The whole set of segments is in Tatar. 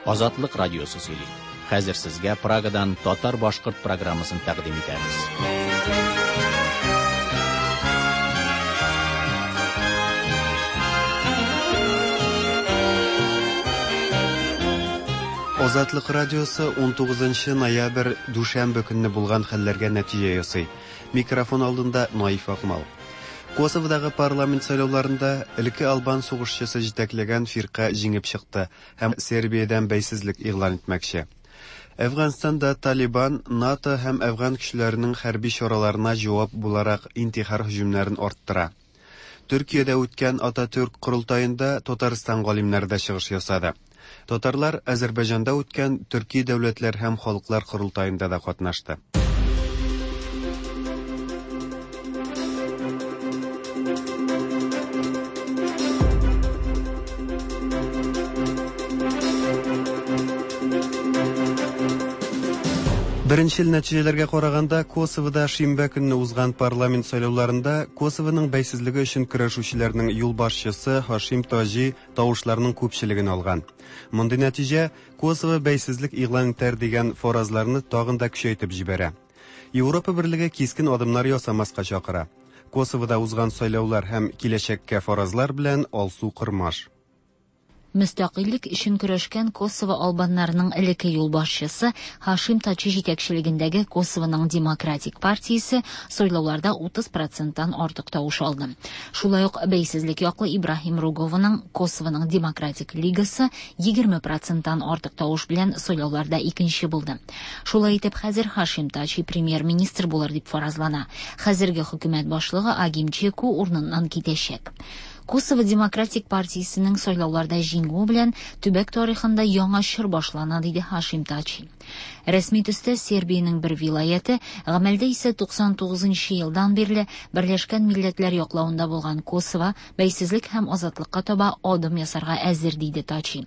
Азатлык радиосы сөйли. Хәзер сезгә Прагадан татар-башкорт программасын тәкъдим итәбез. Азатлык радиосы 19 ноябрь дүшәмбе көнне булган хәлләргә нәтиҗә ясый. Микрофон алдында Наиф Акмал. Косоводагы парламент сайлауларында элекке албан сугышчысы җитәкләгән фирка җиңеп чыкты һәм Сербиядән бәйсезлек игълан итмәкче. Әфганстанда Талибан НАТО һәм әфган көчләренең хәрби чараларына җавап буларак интихар һөҗүмнәрен арттыра. Төркиядә үткән Ататүрк корылтаенда Татарстан галимнәре дә чыгыш ясады. Татарлар Азәрбайҗанда үткән Төрки дәүләтләр һәм халыклар корылтаенда да катнашты. Беренчел нәтиҗәләргә караганда, Косовода шимбә көнне узган парламент сайлауларында Косовоның бәйсезлеге өчен көрәшүчеләрнең юлбашчысы Һашим Таҗи тавышларның күпчелеген алган. Мондый нәтиҗә Косово бәйсезлек игълан итәр дигән фаразларны тагын да көчәйтеп җибәрә. Европа Берлеге кискен адымнар ясамаска чакыра. Косовода узган сайлаулар һәм киләчәккә фаразлар белән Алсу Кормаш. Мөстәкыйльлек өчен көрәшкән Косово албаннарының элекке юлбашчысы Һашим Тачи җитәкчелегендәге Косовоның Демократик партиясе сайлауларда 30 проценттан артык тавыш алды. Шулай ук бәйсезлек яклы Ибраһим Ругованың Косовоның Демократик лигасы 20 проценттан артык тавыш белән сайлауларда икенче булды. Шулай итеп, хәзер Һашим Тачи премьер-министр булыр дип фаразлана. Хәзерге хөкүмәт башлыгы Агим Чеку урыныннан китәчәк. Косово Демократик партиясенең сайлауларда җиңүе белән төбәк тарихында яңа чор башлана, диде Һашим Тачи. Рәсми төстә Сербиянең бер вилаяте, гамәлдә исә 99 нчы елдан бирле Берләшкән Милләтләр яклавында булган Косово бәйсезлек һәм азатлыкка таба адым ясарга әзер, диде Тачи.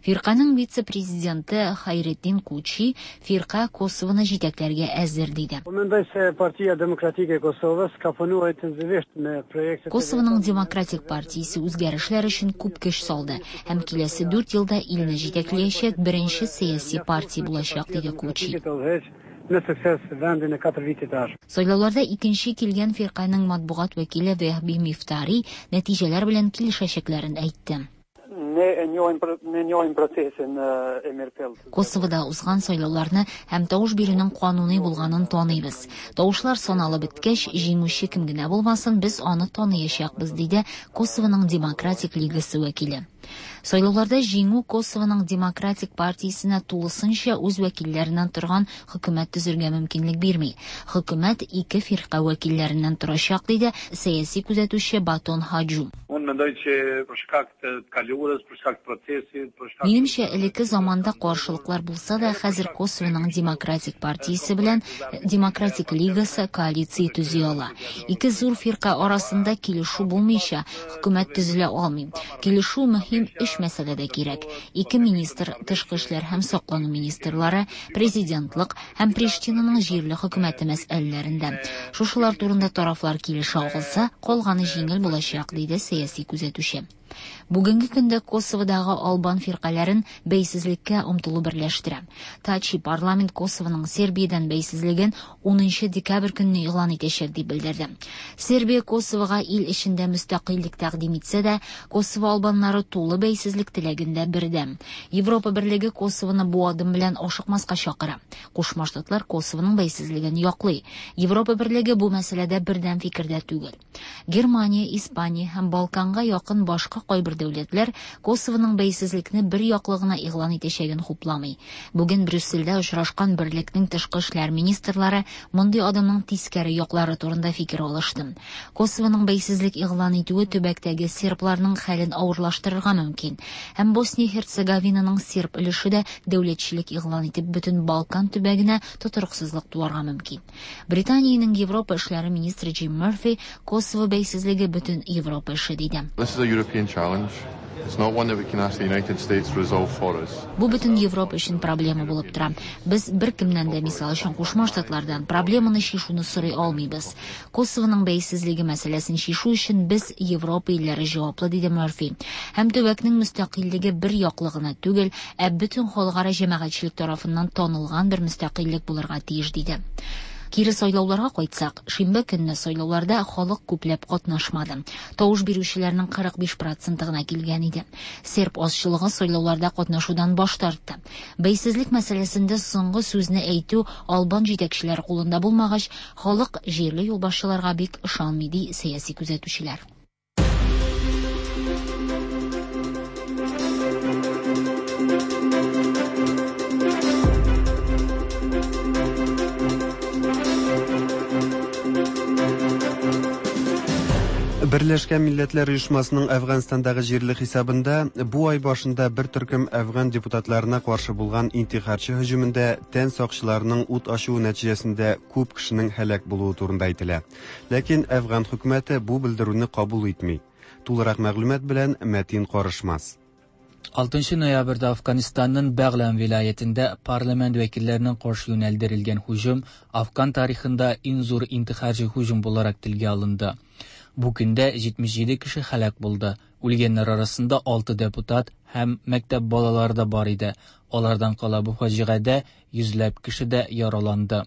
Фирканең вице-президенты Хайретдин Кучи, фирка Косовоны җитәкләргә әзер, диде. Unë mendoj se Partia Demokratike e Kosovës ka punuar intensivisht me projektet e Косовоның Демократик партиясе үзгәрешләр өчен күп көч салды һәм киләсе дүрт елда илне җитәкләячәк беренче сәяси партия булачак, диде Кучи. Сайлауларда икенче килгән фирканең матбугат вәкиле Вехби Мифтари нәтиҗәләр белән килешәчәкләрен әйтте. Косовода узган сайлауларны һәм тавыш бирүнең кануни булганын таныйбыз. Тавышлар саналып беткәч, җиңүче кем генә булмасын, без аны таныячакбыз, диде Косовоның Демократик лигасы вәкиле. Сайлауларда җиңү Косовоның Демократик партиясенә тулысынча үз вәкилләреннән торган хөкүмәт төзергә мөмкинлек бирми. Хөкүмәт ике фирка вәкилләреннән торачак, диде сәяси күзәтүче Батон Хаджу. Unë mendoj që për shkak të të kaluarës, për shkak të procesit, për shkak Минемчә, элекке заманда каршылыклар булса да, хәзер Косовоның Демократик партиясе белән Демократик лигасы коалиция төзи ала. Ике зур фирка арасында килешү булмыйча, хөкүмәт төзелә алмый. Килешү мөһим өч мәсьәләдә кирәк. Ике министр, тышкы эшләр һәм саклану министрлары, президентлык һәм Приштинаның җирле хөкүмәте мәсьәләләрендә. Шушылар турында тарафлар килешә алса, калганы җиңел булачак, диде сәяси күзәтүче. Бүгенге көндә Косоводагы албан фиркаләрен бәйсезлеккә омтылу берләштерә. Тачи парламент Косовоның Сербиядән бәйсезлеген 10 декабрь көнне игълан итәчәк дип белдерде. Сербия Косовога ил эчендә мөстәкыйльлек тәкъдим итсә дә, Косово албаннары тулы бәйсезлек теләгендә бердәм. Европа Берлеге Косовоны бу адым белән ашыкмаска чакыра. Кушма Штатлар Косовоның бәйсезлеген яклый. Европа Берлеге бу мәсьәләдә бердәм фикердә түгел. Германия, Испания һәм Балканга якын башка кайбер дәүләтләр Косовоның бәйсезлекне бер яклы гына игълан итәчәген хупламый. Бүген Брюссельдә очрашкан берлекнең тышкы эшләр министрлары мондый адымның тискәре яклары турында фикер алышты. Косовоның бәйсезлек игълан итүе төбәктәге сербларның хәлен авырлаштырырга мөмкин. Һәм Босния-Һерцеговинаның серб өлеше дә дәүләтчелек игълан итеп бөтен Балкан төбәгенә тотрыксызлык туарга мөмкин. Британиянең Европа эшләре министры Джим Мерфи Косово бәйсезлеге бөтен Европа эше диде. This is a European challenge. Бу бөтен Европа өчен проблема булып тора. Без беркемнән дә, мисал өчен, Кушма Штатлардан, проблеманы чишүне сорый алмыйбыз. Косовоның бәйсезлеге мәсьәләсен чишү өчен без, Европа илләре җаваплы, диде Мөрфи. Һәм төбәкнең мөстәкыйльлеге бер яклы гына түгел, ә бөтен халыкара җәмәгатьчелек тарафыннан танылган бер мөстәкыйльлек булырга тиеш, диде. Кире сайлауларга кайтсак, шимбә көнне сайлауларда халык күпләп катнашмады. Тавыш бирүчеләрнең 45 проценты гына килгән иде. Серб азчылыгы сайлауларда катнашудан баш тартты. Бәйсезлек мәсьәләсендә соңгы сүзне әйтү албан җитәкчеләре кулында булмагач, халык җирле юлбашчыларга бик ышанмый, ди сәяси күзәтүчеләр. Берләшкән Милләтләр Оешмасының Әфганстандагы җирле хисабында бу ай башында бер төркем әфган депутатларына каршы булган интихарчы һөҗүмендә тән сакчыларының ут ачуы нәтиҗәсендә күп кешенең һәлак булуы турында әйтелә. Ләкин әфган хөкүмәте бу белдерүне кабул итми. Тулырак мәгълүмат белән Мәтин Карышмас. 6 ноябрьдә Афганистанның Бәгълән вилаятендә парламент вәкилләренә каршы юнәлдерелгән һөҗүм Афган тарихында иң зур интихарчы һөҗүм буларак телгә алынды. Бу көндә 77 кеше һәлак булды. Үлгәннәр арасында 6 депутат һәм мәктәп балалары да бар иде. Алардан кала бу фаҗигадә йөзләп кеше дә яраланды.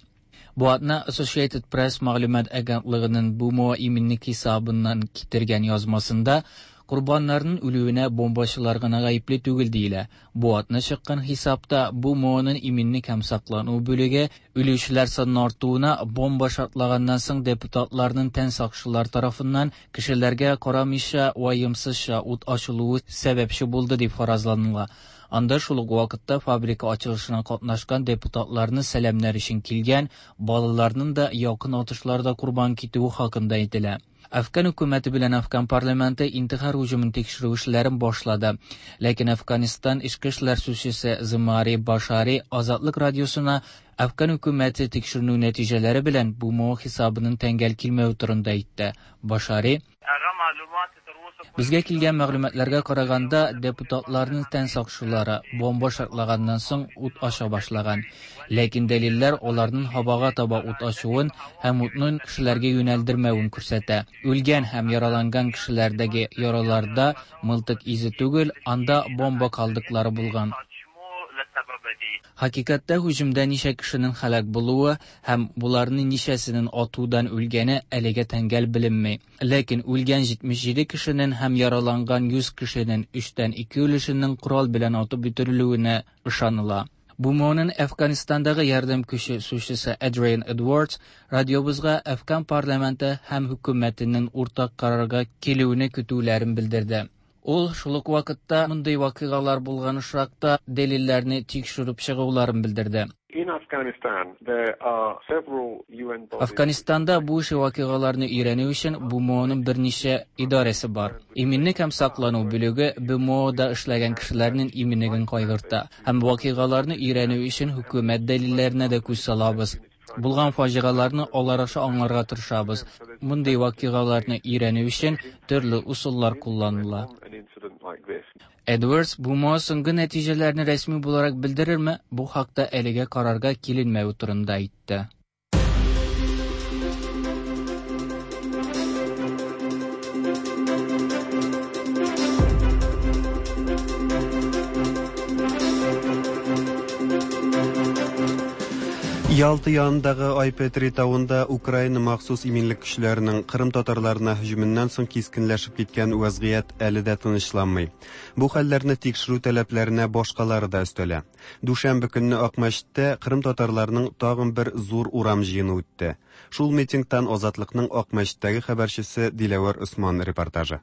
Бу атна Associated Press мәгълүмат агентлыгының БМО иминлек хисабыннан китергән язмасында Курбаннарның үлүенә бомбачылар гына гаепле түгел диелә. Бу атна чыккан хисапта БМОның иминлек һәм саклану бүлеге үлүчеләр санының артуына бомба шартлаганнан соң депутатларның тән сакчылар тарафыннан кешеләргә карамыйча ваемсызча ут ачылуы сәбәпче булды дип фаразланыла. Анда шул ук вакытта фабрика ачылышына катнашкан депутатларны сәламнәр өчен килгән балаларның да якын атышларда корбан китүе хакында әйтелә. Афган хөкүмәте белән Афган парламенты интихар һөҗүмен тикшерү эшләрен башлады. Ләкин Афганистан эчке эшләр сүзчесе Зимари Башари Азатлык радиосына Афган хөкүмәте тикшеренү нәтиҗәләре белән БМО хисабының тәңгәл килмәве турында әйтте. Башари: Безгә килгән мәгълүматларга караганда, депутатларның тән сакчылары бомба шартлаганнан соң ут ача башлаган. Ләкин дәлилләр аларның һавага таба ут ачуын һәм утны кешеләргә юнәлдермәвен күрсәтә. Үлгән һәм яраланган кешеләрдәге яраларда мылтык изе түгел, анда бомба калдыклары булган. Хакыйкатьтә һөҗүмдә ничә кешенең һәлак булуы һәм буларның ничәсенең атудан үлгәне әлегә тәңгәл беленми. Ләкин үлгән 77 кешенең һәм яраланган 100 кешенең 2/3 өлешенең корал белән атып үтерелүенә ышаныла. БМОның Әфганистандагы ярдәм көче сүзчесе Адриан Эдвардс радиобызга Әфган парламенты һәм хөкүмәтенең уртак карарга килүен көтүләрен белдерде. Ул шул ук вакытта мондый вакыйгалар булган очракта дәлилләрне тикшереп чыгуларын белдерде. Афганистанда бу ише вакыйгаларны өйрәнү өчен БМОның берничә идарәсе бар. Иминлек һәм саклану бүлеге БМОда эшләгән кешеләрнең иминлеген кайгырта. Һәм вакыйгаларны өйрәнү өчен хөкүмәт дәлилләренә дә күз салабыз. Булган фаҗигаларны алар аша аңларга тырышабыз. Мондый вакыйгаларны өйрәнү өчен төрле усуллар кулланыла. Эдвардс БМО соңгы нәтиҗәләрне рәсми буларак белдерерме, бу хакта әлегә карарга киленмәве турында әйтте. Ялта янындагы Айпетри тавында Украина махсус иминлек көчләренең Кырым татарларына һөҗүменнән соң кискенләшеп киткән вазгыять әле дә тынычланмый. Бу хәлләрне тикшерү таләпләренә башкалары да өстәлә. Дүшәмбе көнне Акмәчеттә Кырым татарларының тагын бер зур урам җыены үтте. Шул митингтан Азатлыкның Акмәчеттәге хәбәрчесе Диләвәр Усман репортажы.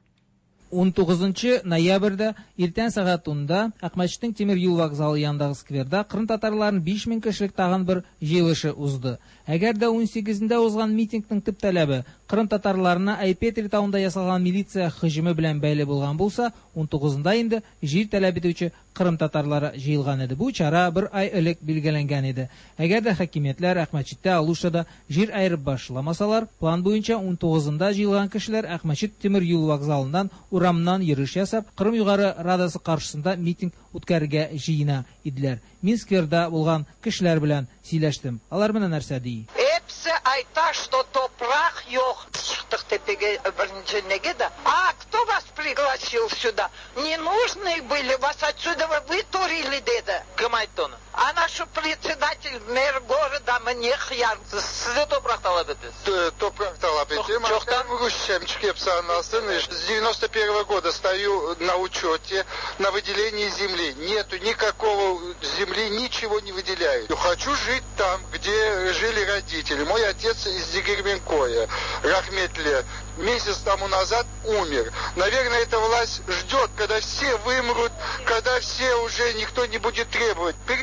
19 ноябрьдә иртән сәгать 10-да Акмәчетнең тимер юл вокзалы янындагы скверда Кырым татарларының 5000 кешелек тагын бер җыелышы узды. Әгәр дә 18-ндә узган митингның төп таләбе Кырым татарларына Айпетри тавында ясалган милиция һөҗүме белән бәйле булган булса, 19-нда инде җир таләп итүче Кырым татарлары җыелган иде. Бу чара бер ай элек билгеләнгән иде. Әгәр дә хакимиятләр Акмәчеттә, Алушада җир аерып башламасалар, план буенча 19-нда җыелган кешеләр Акмәчет тимер юл вокзалыннан урамнан йөреш ясап, Кырым Югары Радасы каршысында митинг үткәрергә җыена иделәр. Мин скверда булган кешеләр белән сөйләштем. Алар менә нәрсә ди. Episi ayta, что topraq yoq. Çıqtıq tepege birinci nege de. А кто вас пригласил сюда? Ненужные были, вас отсюда вытурили, dedi. Kim ayttı onı? Ana şu председатель, мэр города mı ne hıyar. Siz de topraq talap etesiz. Topraq talap etem. Çoqtan? Rusçam çıqıp anlasın. С 91 года стою на учете, на выделении земли. Нету никакого земли, ничего не выделяют. Хочу жить там, где жили родители. Мой отец из Дегерменкоя, rahmetli, месяц тому назад умер. Наверное, эта власть ждет, когда все вымрут, когда все уже никто не будет требовать. Bir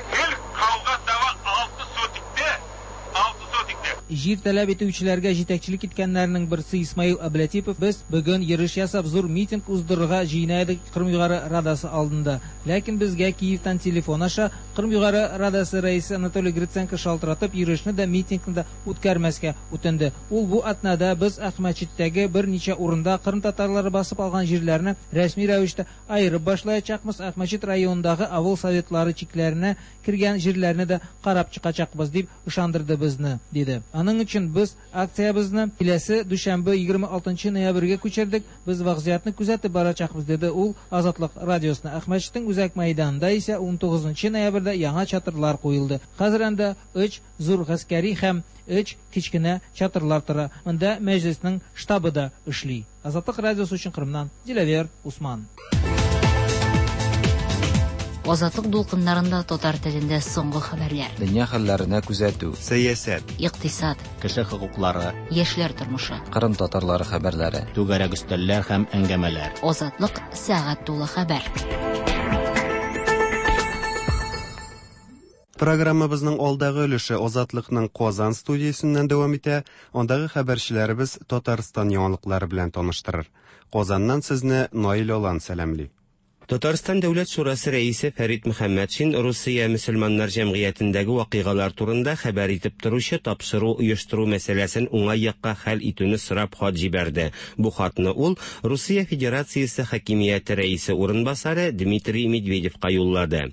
qavğa dava 6 sotikte, 6 sotikte. Җир таләп итүчеләргә җитәкчелек иткәннәрнең берсе Исмаил Әбләтипов: без бүген йөреш ясап зур митинг уздырырга җыена идек Кырым Югары Радасы алдында. Ләкин безгә Киевтан телефон аша Кырым Югары Радасы рәисе Анатолий Гриценко шалтыратып, йөрешне дә, митингны да үткәрмәскә үтенде. Ул бу атнада без Акмәчеттәге берничә урында Кырым татарлары басып алган җирләрне рәсми рәвештә аерып башлаячакбыз. Акмәчет районындагы авыл советлары чикләренә кергән җирләрне дә карап чыгачакбыз дип ышандырды безне, диде. Аның өчен без акциябезне киләсе дүшәмбе 26 ноябрьгә күчердек. Без вазгыятьне күзәтеп барачакбыз, диде ул Азатлык радиосына. Акмәчетнең үзәк мәйданында исә 19 ноябрьдә яңа чатырлар куелды. Хәзер анда 3 зур гаскәри һәм 3 кечкенә чатырлар тора. Монда мәҗлеснең штабы да эшли. Азатлык радиосы өчен Кырымнан Диләвер Усман. Азатлык дулкыннарында татар телендә соңгы хәбәрләр. Дөнья хәлләренә күзәтү. Сәясәт. Икътисад. Кеше хокуклары. Яшьләр тормышы. Кырым татарлары хәбәрләре. Түгәрәк өстәлләр һәм әңгәмәләр. Азатлык сәгать тулы хәбәр. Программабызның алдагы өлеше Азатлыкның Казан студиясеннән дәвам итә. Андагы хәбәрчеләребез Татарстан яңалыклары белән таныштырыр. Казаннан сезне Наил Алан сәламли. Татарстан Дәүләт Шурасы рәисе Фәрит Мөхәммәтшин Русия мөселманнар җәмгыятендәге вакыйгалар турында хәбәр итеп торучы тапшыру оештыру мәсьәләсен уңай якка хәл итүне сорап хат җибәрде. Бу хатны ул Русия Федерациясе хакимияте рәисе урынбасары Дмитрий Медведевка юллады.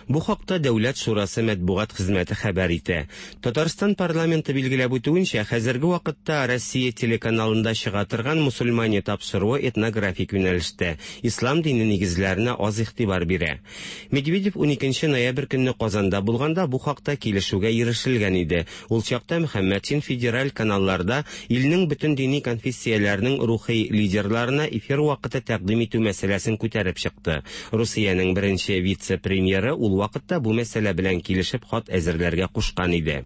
Бу хакта Дәүләт Шурасы матбугат хезмәте хәбәр итә. Татарстан парламенты билгеләп үтүенчә, хәзерге вакытта Россия телеканалында чыга торган мусульмане тапшыруы этнографик юнәлештә, ислам дине нигезләренә аз игътибар бирә. Медведев 12 ноябрь көнне Казанда булганда бу хакта килешүгә ирешелгән иде. Ул чакта Мөхәммәтшин федераль каналларда илнең бөтен дини конфессияләренең рухи лидерларына эфир вакыты тәкъдим итү мәсьәләсен күтәреп чыкты. Русиянең беренче вице-премьеры ул вакытта бу мәсьәлә белән килешеп хат әзерләргә кушкан иде.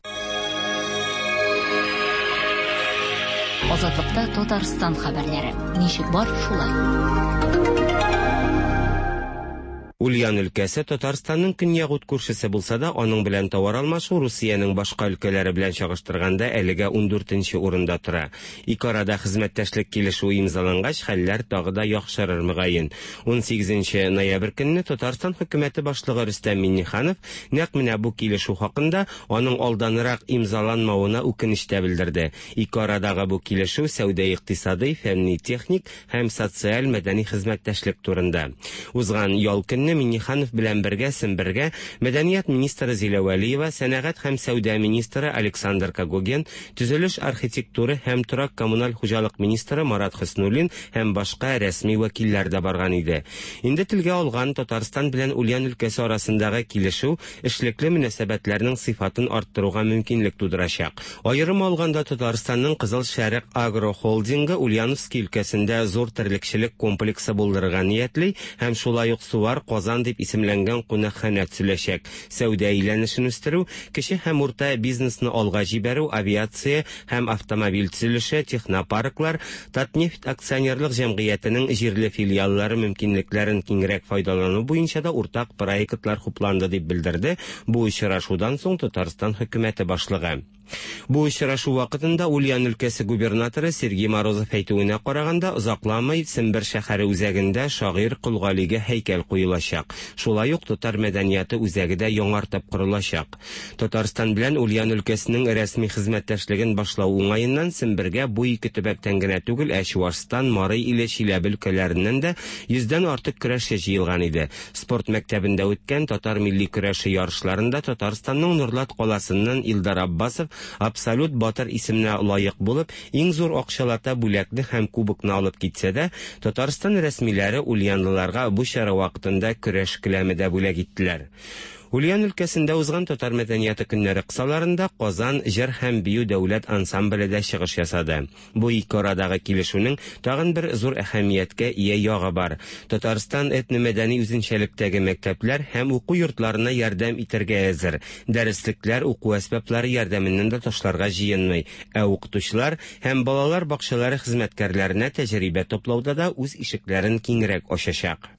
Азатлыкта Татарстан хәбәрләре. Ничек бар, шулай. Ульян өлкәсе Татарстанның көньяк ут күршесе булса да, аның белән товар алмашу Русиянең башка өлкәләре белән чагыштырганда әлегә 14нче урында тора. Ике арада хезмәттәшлек килешүе имзалангач, хәлләр тагы да яхшырыр мөгаен. 18 ноябрь көнне Татарстан хөкүмәте башлыгы Рөстәм Миңнеханов нәкъ менә бу килешү хакында аның алданрак имзаланмавына үкенеч тә белдерде. Ике арадагы бу килешү сәүдә-икътисадый, фәнни-техник һәм социаль-мәдәни хезмәттәшлек турында. Узган ял көнне Миңнеханов белән бергә Сембергә мәдәният министры Зилә Вәлиева, сәнәгать һәм сәүдә министры Александр Когогин, төзелеш, архитектура һәм торак коммуналь хуҗалык министры Марат Хөснуллин һәм башка рәсми вәкилләр дә барган иде. Инде телгә алган Татарстан белән Ульян өлкәсе арасындагы килешү эшлекле мөнәсәбәтләрнең сыйфатын арттыруга мөмкинлек тудырачак. Аерым алганда Татарстанның Кызыл Шәрык агро холдингы Ульяновский өлкәсендә зур терлекчелек комплексы булдырырга ниятли һәм шулай ук Сувар Казан дип исемләнгән кунакханә төзеләчәк. Сәүдә әйләнешен үстерү, кече һәм урта бизнесны алга җибәрү, авиация һәм автомобиль төзелеше, технопарклар, Татнефть акционерлык җәмгыятенең җирле филиаллары мөмкинлекләрен киңрәк файдалану буенча да уртак проектлар хупланды дип белдерде бу очрашудан соң Татарстан хөкүмәте башлыгы. Бу очрашу вакытында Ульян өлкәсе губернаторы Сергей Морозов әйтүенә караганда, озакламый Сембер шәһәре үзәгендә шагыйрь Кол Галигә һәйкәл куелачак. Шулай ук татар мәдәнияты үзәге дә яңартып корылачак. Татарстан белән Ульян өлкәсенең рәсми хезмәттәшлеген башлау уңаеннан Сембергә бу ике төбәктән генә түгел, ә Чуашстан, Марый Иле, Чиләбе өлкәләреннән дә йөздән артык көрәшче җыелган иде. Спорт мәктәбендә үткән татар милли көрәше ярышларында Татарстанның Нурлат каласыннан Илдар Аббасов абсолют батыр исеменә лаек булып, иң зур акчалата бүләкне һәм кубокны алып китсә дә, Татарстан рәсмиләре ульянлыларга бу чара вакытында көрәш келәме дә бүләк иттеләр. Ульян өлкәсендә узган татар мәдәнияты көннәре кысаларында Казан җыр һәм бию дәүләт ансамбле дә чыгыш ясады. Бу ике арадагы килешүнең тагын бер зур әһәмияткә ия ягы бар. Татарстан этномәдәни үзенчәлектәге мәктәпләр һәм уку йортларына ярдәм итәргә әзер. Дәреслекләр, уку әсбаплары ярдәменнән дә ташларга җыенмый. Ә укытучылар һәм балалар бакчалары хезмәткәрләренә тәҗрибә туплауда да үз ишекләрен киңрәк ачачак.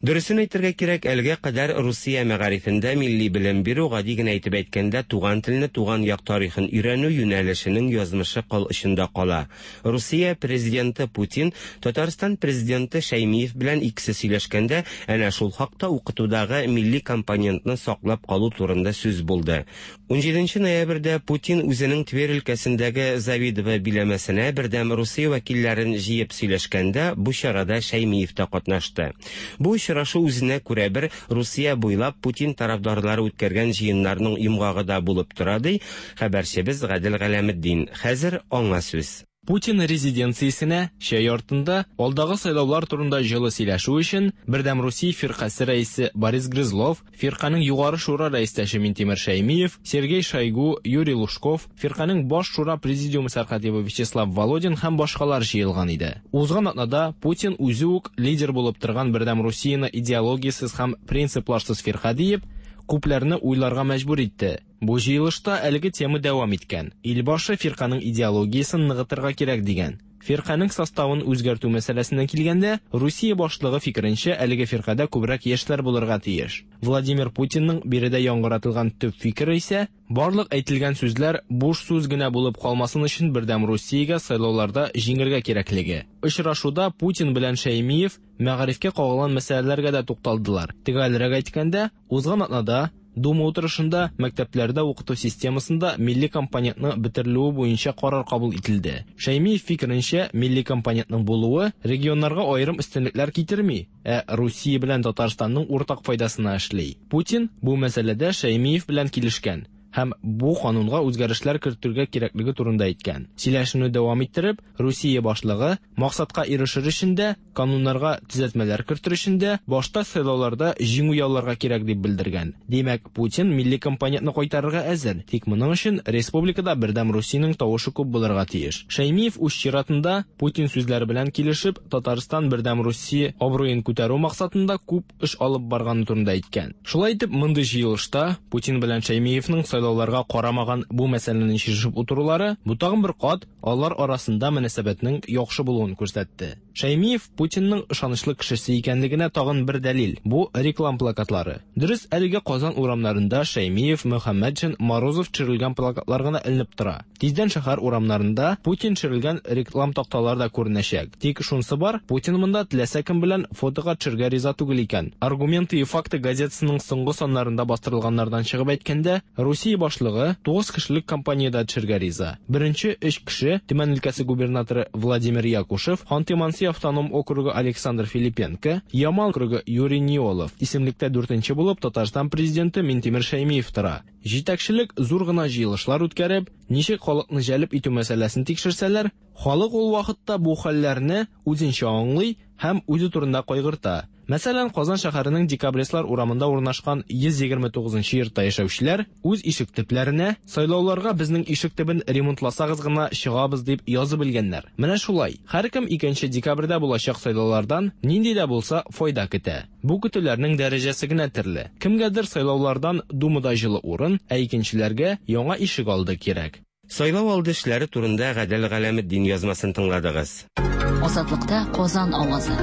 Дөресен әйтергә кирәк, әлегә кадәр Русия мәгарифендә милли белем бирү, гади генә итеп әйткәндә, туган телне, туган як тарихын өйрәнү юнәлешенең язмышы кыл очында кала. Русия президенты Путин Татарстан президенты Шәймиев белән икесе сөйләшкәндә, әнә шул хакта укытудагы милли компонентны саклап калу турында сүз булды. Унҗиденче ноябрьдә Путин үзенең Тверь өлкәсендәге Завидово биләмәсенә Бердәм Русия вәкилләрен җыеп сөйләшкәндә, бу чарада Шәймиев та катнашты. Бу очрашу үзенә күрә бер Русия буйлап Путин тарафдарлары үткәргән җыеннарның йомгагы да булып тора, ди хәбәрчебез Гадел Галәметдин. Хәзер аңа сүз. Путин резиденциясенә чәй артында алдагы сайлаулар турында җылы сөйләшү өчен Бердәм Русия фиркасе рәисе Борис Грызлов, фирканең Югары шура рәистәше Минтимер Шәймиев, Сергей Шойгу, Юрий Лужков, фирканең Баш шура президиумы сәркатибы Вячеслав Володин һәм башкалар җыелган иде. Узган атнада Путин үзе үк лидер булып торган Бердәм Русияне идеологиясез һәм принципларсыз фирка диеп, күпләрне уйларга мәҗбүр итте. Бу җыелышта әлеге тема дәвам иткән. Илбашы фирканың идеологиясен ныгытырга кирәк дигән. Фирканең составын үзгәртү мәсьәләсенә килгәндә, Русия башлыгы фикеренчә, әлеге фиркадә күбрәк яшьләр булырга тиеш. Владимир Путинның биредә яңгыратылган төп фикере исә, барлык әйтелгән сүзләр буш сүз генә булып калмасын өчен Бердәм Русиягә сайлауларда җиңергә кирәклеге. Очрашуда Путин белән Шәймиев мәгарифкә кагылган мәсьәләләргә дә тукталдылар. Төгәлрәк әйткәндә, узган атнада Дума утырышында мәктәпләрдә укыту системасында милли компонентның бетерелүе буенча карар кабул ителде. Шәймиев фикеренчә, милли компонентның булуы регионнарга аерым өстенлекләр китерми, ә Русия белән Татарстанның уртак файдасына эшли. Путин бу мәсьәләдә Шәймиев белән килешкән һәм бу канунга үзгәрешләр кертергә кирәклеге турында әйткән. Сөйләшүне дәвам иттереп, Русия башлыгы максатка ирешер өчен дә, кануннарга төзәтмәләр кертер өчен дә башта сайлауларда җиңү яуларга кирәк дип белдергән. Димәк, Путин милли компонентны кайтарырга әзер, тик моның өчен республикада Бердәм Русиянең тавышы күп булырга тиеш. Шәймиев үз чиратында Путин сүзләре белән килешеп, Татарстан Бердәм Русия абруен күтәрү максатында күп эш алып барганы турында әйткән. Шулай итеп, мондый җыелышта Путин белән Шәймиевның сайлауларга карамаган бу мәсьәләне чишеп утырулары, бу тагын бер кат алар арасында мөнәсәбәтнең яхшы булуын күрсәтте. Шәймиев Путинның ышанычлы кешесе икәнлегенә тагын бер дәлил. Бу реклам плакатлары. Дөрес, әлегә Казан урамнарында Шәймиев, Мөхәммәтшин, Морозов төшерелгән плакатлар гына эленеп тора. Тиздән шәһәр урамнарында Путин төшерелгән реклам такталар да күренәчәк. Тик шунысы бар, Путин монда теләсә кем белән фотога төшергә риза түгел икән. Аргументы и факты газетасының соңгы саннарында бастырылганнардан чыгып әйткәндә, Русия башлыгы 9 кешелек компаниядә төшергә риза. Беренче 3 кеше Төмән өлкәсе губернаторы Владимир Якушев, Ханты-Манси автоном округы Александр Филипенко, Ямал округы Юрий Неолов. Исемлектә дүртенче булып Татарстан президенты Минтимер Шәймиев тора. Җитәкчелек зур гына җыелышлар үткәреп, ничек халыкны җәлеп итү мәсьәләсен тикшерсәләр, халык ул вакытта бу хәлләрне үзенчә аңлый һәм үзе турында кайгырта. Мәсәлән, Казан шәһәренең Декабристлар урамында урнашкан 129 нчы йортта яшәүчеләр үз ишек төпләренә сайлауларга безнең ишек төбен ремонтласагыз гына чыгабыз дип язып элгәннәр. Менә шулай, һәркем 2 декабрьдә булачак сайлаулардан нинди дә булса файда көтә. Бу көтүләрнең дәрәҗәсе генә төрле. Кемгәдер сайлаулардан Думада җылы урын, ә икенчеләргә яңа ишек алды кирәк. Сайлау алды эшләре турында Гадел Галәметдин язмасын тыңладыгыз. Азатлыкта Казан авазы.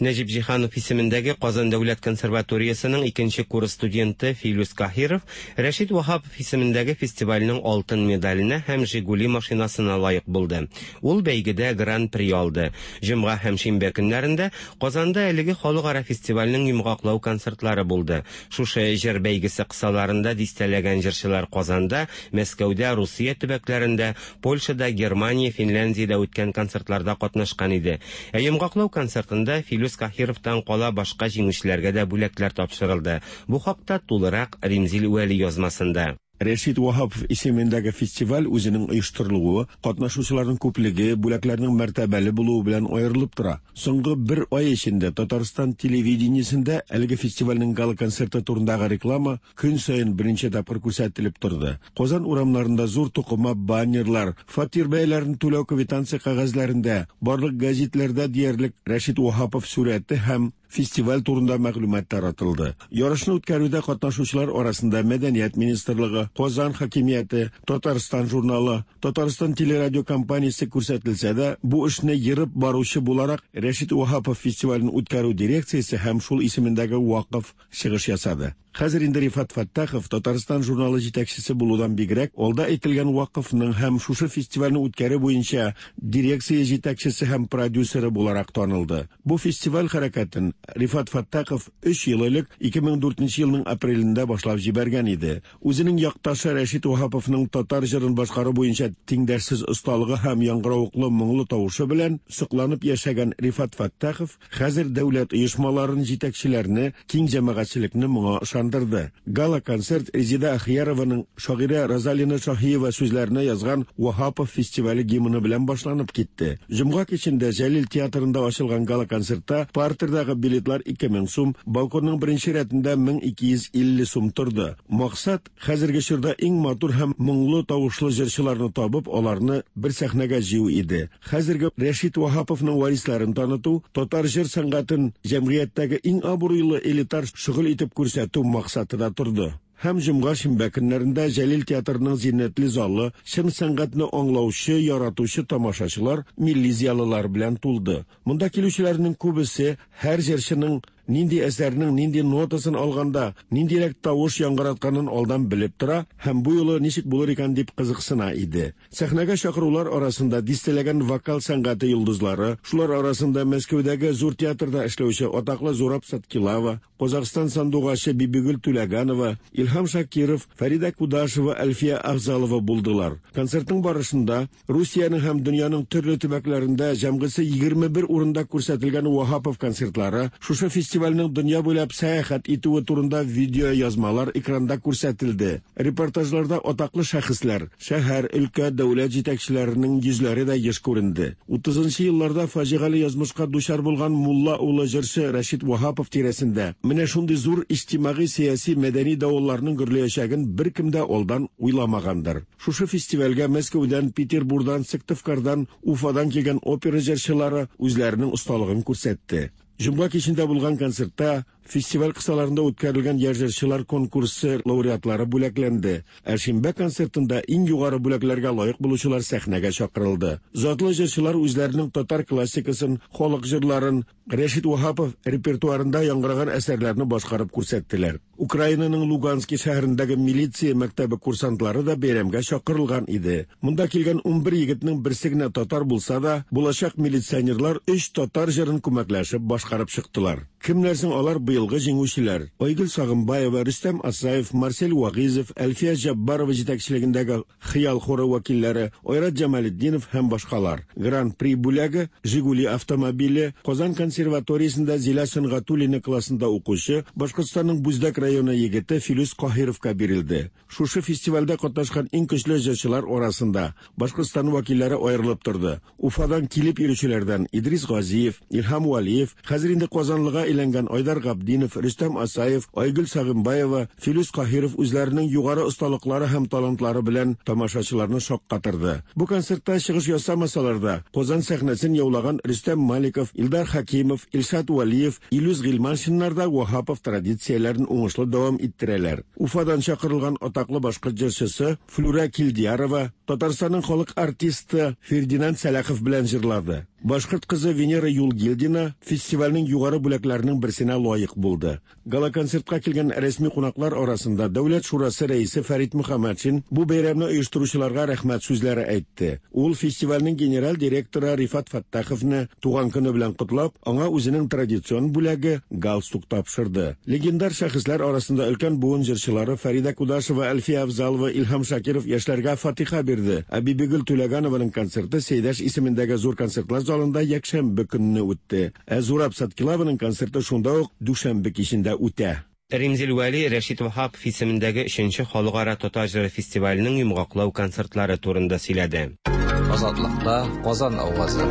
Нәҗип Җиһанов исемендәге Казан дәүләт консерваториясенең икенче курс студенты Филүс Каһиров Рәшит Ваһапов исемендәге фестивальнең алтын медаленә һәм Жигули машинасына лаек булды. Ул бәйгедә Гран-при алды. Җомга һәм шимбә көннәрендә Казанда әлеге халыкара фестивальнең йомгаклау концертлары булды. Шушы җыр бәйгесе кысаларында дистәләгән җырчылар Казанда, Мәскәүдә, Русия төбәкләрендә, Польшада, Германия, Финляндиядә үткән концертларда катнашкан иде. Ә йомгаклау концертында Филүс Каһировтан кала башка җиңүчеләргә дә бүләкләр тапшырылды. Бу хакта тулырак Римзил Вәли язмасында. Рәшит Ваһапов исемендәге фестиваль үзенең оештырылуы, катнашучыларның күплеге, бүләкләрнең мәртәбәле булуы белән аерылып тора. Соңгы бер ай эчендә Татарстан телевидениесендә әлеге фестивальнең гала-концерты турындагы реклама көн саен берничә тапкыр күрсәтелеп торды. Казан урамнарында зур тукыма баннерлар, фатир бәяләрен түләү квитанция кәгазьләрендә, барлык гәзитләрдә диярлек Рәшит Ваһапов сурәте һәм фестиваль турында мәгълүмат таратылды. Ярышны үткәрүдә катнашучылар арасында Мәдәният министрлыгы, Казан хакимияте, Татарстан журналы, Татарстан телерадиокомпаниясе күрсәтелсә дә, бу эшне ерып баручы буларак Рәшит Ваһапов фестивален үткәрү дирекциясе һәм шул исемендәге вакыф чыгыш ясады. Хәзер инде Рифат Фәттахов Татарстан журналы җитәкчесе булудан бигрәк, алда әйтелгән вакыфның һәм шушы фестивальне үткәрү буенча дирекция җитәкчесе һәм продюсеры буларак танылды. Бу фестиваль хәрәкәтен Рифат Фәттахов өч ел элек, 2004 елның апрелендә башлап җибәргән иде. Үзенең якташы Рәшит Ваһаповның татар җырын башкару буенча тиңдәшсез осталыгы һәм яңгыравыклы моңлы тавышы белән сокланып яшәгән Рифат Фәттахов хәзер дәүләт оешмаларын, җитәкчеләрне, киң җәмәгатьчелекне моңа ышандырды. Гала-концерт Резеда Әхиярованың шагыйрә Розалина Шаһиева сүзләренә язган Ваһапов фестивале гимны белән башланып китте. Җомга кичендә Җәлил театрында ачылган гала-концертта партердагы билетлар 2000 сум, балконның беренче рәтендә 1250 сум торды. Максат, хәзерге чорда иң матур һәм моңлы тавышлы җырчыларны табып, аларны бер сәхнәгә җыю иде. Хәзерге Рәшит Ваһаповның варисларын таныту, татар җыр сәнгатен җәмгыятьтәге иң абруйлы элитар шөгыль итеп күрсәтү максаты да торды. Һәм җомга-шимбә көннәрендә Җәлил театрының зиннәтле залы чын сәнгатьне аңлаучы, яратучы тамашачылар, милли зыялылар белән тулды. Монда килүчеләрнең күбесе һәр җырчының нинди әсәрнең нинди нотасын алганда, ниндирәк тавыш яңгыратканын алдан белеп тора һәм бу юлы ничек булыр икән дип кызыксына иде. Сәхнәгә чакырулар арасында дистәләгән вокал сәнгате йолдызлары, шулар арасында Мәскәүдәге Зур театрда эшләүче атаклы Зураб Саткилава, Казахстан сандугачы Бибигөл Түләганова, Илһам Шакиров, Фәридә Кудашева, Әлфия Афзалова булдылар. Концертның барышында Русиянең һәм дөньяның төрле төбәкләрендә җәмгысе 21 урында күрсәтелгән Ваһапов концертлары, шушы фестивальнең дөнья буйлап сәяхәт итүе турында видеоязмалар экранда күрсәтелде. Репортажларда атаклы шәхесләр, шәһәр, өлкә, дәүләт җитәкчеләренең йөзләре дә еш күренде. Утызынчы елларда фаҗигале язмышка дучар булган мулла улы җырчы Рәшит Ваһапов тирәсендә менә шундый зур иҗтимагый-сәяси мәдәни давылларның гөрләячәген беркем дә алдан уйламагандыр. Шушы фестивальгә Мәскәүдән, Петербурдан, Сыктывкардан, Уфадан килгән опера җырчылары үзләренең осталыгын күрсәтте. Җомга кичендә булган концертта фестиваль кысаларында үткәрелгән яшь җырчылар конкурсы лауреатлары бүләкләнде. Ә шимбә концертында иң югары бүләкләргә лаек булучылар сәхнәгә чакырылды. Затлы җырчылар үзләренең татар классикасын, халык җырларын, Рәшит Ваһапов репертуарында яңгыраган әсәрләрне башкарып күрсәттеләр. Украинаның Лугански шәһәрендәге милиция мәктәбе курсантлары да бәйрәмгә чакырылган иде. Монда килгән 11 егетнең берсе генә татар булса да, булачак милиционерлар өч татар җырын күмәкләшеп башкарып чыктылар. Кемнәр соң алар быелгы җиңүчеләр? Айгөл Сагымбаева, Рөстәм Асаев, Марсель Вагыйзов, Әлфия Җаббарова җитәкчелегендәге Хыял хоры вәкилләре, Айрат Җамалетдинов һәм башкалар. Гран-при бүләге, Жигули автомобиле, Казан консерваториясендә Зилә Сөнгатуллина классында укучы, Башкортстанның Бүздәк районы егете Филүс Каһировка бирелде. Шушы фестивальдә катнашкан иң көчле җырчылар арасында Башкортстан вәкилләре аерылып торды. Уфадан килеп йөрүчеләрдән Идрис Газиев, Илһам Вәлиев, хәзер инде казанлыга әйләнгән Айдар Габдинов, Рөстәм Асаев, Айгөл Сагымбаева, Филүс Каһиров үзләренең югары осталыклары һәм талантлары белән тамашачыларны шаккатырды. Бу концертта чыгыш ясамасалар да, Казан сәхнәсен яулаган Рөстәм Маликов, Илдар Хәкимов, Илшат Вәлиев, Илүс Гыйльманшиннар да Ваһапов традицияләрен уңышлы дәвам иттерәләр. Уфадан чакырылган атаклы башкорт җырчысы Флүрә Килдиярова Татарстанның халык артисты Фердинанд Сәлахов белән җырлады. Башкорт кызы Венера Юлгилдина фестивальнең югары бүләкләренең берсенә лаек булды. Гала-концертка килгән рәсми кунаклар арасында Дәүләт шурасы рәисе Фәрит Мөхәммәтшин бу бәйрәмне оештыручыларга рәхмәт сүзләре әйтте. Ул фестивальнең генераль директоры Рифат Фәттаховны туган көне белән котлап, аңа үзенең традицион бүләге, галстук тапшырды. Легендар шәхесләр арасында өлкән буын җырчылары Фәридә Кудашева, Әлфия Авзалова, Илһам Шакиров яшьләргә фатиха бирде. Ә Бибигөл Түләгәнованың концерты Сәйдәш исемендәге зур концертлар залында якшәмбе көнне үтте. Ә Зураб Саткилаваның концерты шунда ук дүшәмбе кичендә үтә. Римзил Вәли Рәшит Ваһапов исемендәге өченче халыкара татар җыры фестиваленең йомгаклау концертлары турында сөйләде. Азатлыкта Казан авазы.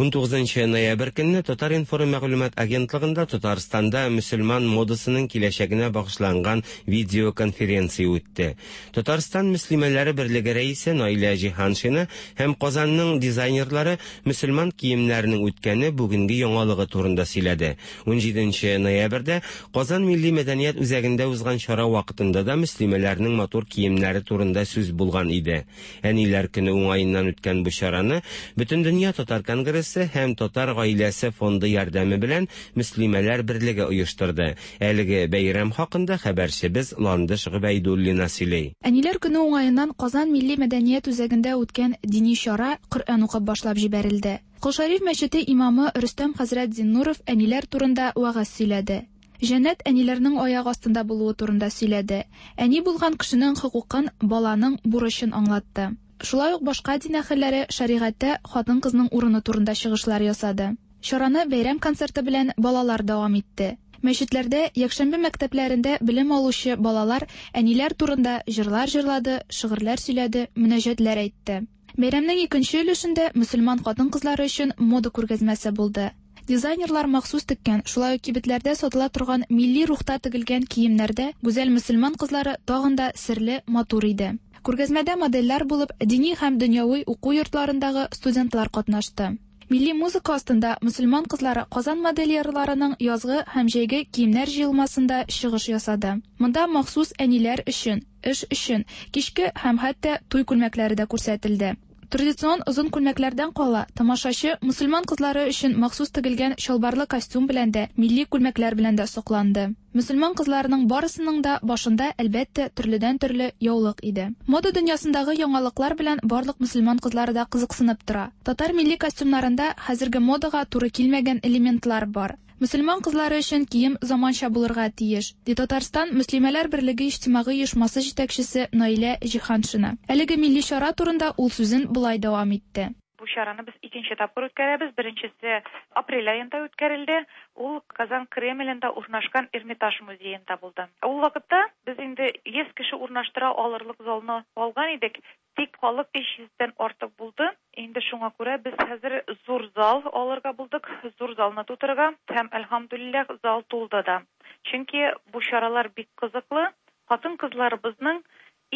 19 ноябрь көнне Татар-информ мәгълүмат агентлыгында Татарстанда мөселман модасының киләчәгенә багышланган видеоконференция үтте. Татарстан мөслимәләре берлеге рәисе Наилә Җиһаншина һәм Казанның дизайнерлары мөселман киемнәренең үткәне, бүгенге яңалыгы турында сөйләде. 17 ноябрьдә Казан милли мәдәният үзәгендә узган чара вакытында да мөслимәләрнең матур киемнәре турында сүз булган иде. Әниләр көне уңаеннан үткән бу чараны Бөтендөнья татар конгрессы һәм Татар гаиләсе фонды ярдәме белән Мөслимәләр берлеге оештырды. Әлеге бәйрәм хакында хәбәрчебез Ландыш Гобәйдуллина сөйли. Әниләр көне уңаеннан Казан милли мәдәният үзәгендә үткән дини чара Коръән укып башлап җибәрелде. Кол Шәриф мәчете имамы Рөстәм хәзрәт Зиннуров әниләр турында вәгазь сөйләде. Җәннәт әниләрнең аяк астында булуы турында сөйләде. Әни булган кешенең хокукын, баланың бурычын аңлатты. Шулай ук башка дин әһелләре шәригатьтә хатын-кызның урыны турында чыгышлар ясады. Чараны бәйрәм концерты белән балалар дәвам итте. Мәчетләрдә, якшәмбе мәктәпләрендә белем алучы балалар әниләр турында җырлар җырлады, шигырьләр сөйләде, мөнәҗәтләр әйтте. Бәйрәмнең икенче өлешендә мөселман хатын-кызлары өчен мода күргәзмәсе булды. Дизайнерлар махсус теккән, шулай ук кибетләрдә сатыла торган милли рухта тегелгән киемнәрдә гүзәл мөселман кызлары тагын да серле, матур иде. Күргәзмәдә модельләр булып дини һәм дөньяви уку йортларындагы студентлар катнашты. Милли музыка астында мөселман кызлары Казан модельерларының язгы һәм җәйге киемнәр җыелмасында чыгыш ясады. Монда махсус әниләр өчен, эш өчен, кичке һәм хәтта туй күлмәкләре дә күрсәтелде. Традицион озын күлмәкләрдән кала, тамашачы мөселман кызлары өчен махсус тегелгән чалбарлы костюм белән дә, милли күлмәкләр белән дә сокланды. Мөселман кызларының барысының да башында, әлбәттә, төрледән-төрле яулык иде. Мода дөньясындагы яңалыклар белән барлык мөселман кызлары да кызыксынып тора. Татар милли костюмнарында хәзерге модага туры килмәгән элементлар бар. Мөселман кызлары өчен кием заманча булырга тиеш, ди Татарстан Мөслимәләр берлеге иҗтимагый оешмасы җитәкчесе Наилә Җиһаншина. Әлеге милли чара турында ул сүзен болай дәвам итте. Бу чараны без икенче тапкыр үткәрәбез. Беренчесе апрель аенда үткәрелде. Ул Казан Кремлендә урнашкан Эрмитаж музеенда булды. Ул вакытта без инде 100 кеше урнаштыра алырлык залны алган идек. Тик халык 300 дән артык булды. Инде шуңа күрә без хәзер зур зал алырга булдык, зур залны тутырырга һәм, әлхәмдүлилләһ, зал тулды да. Чөнки бу чаралар бик кызыклы, хатын-кызларыбызның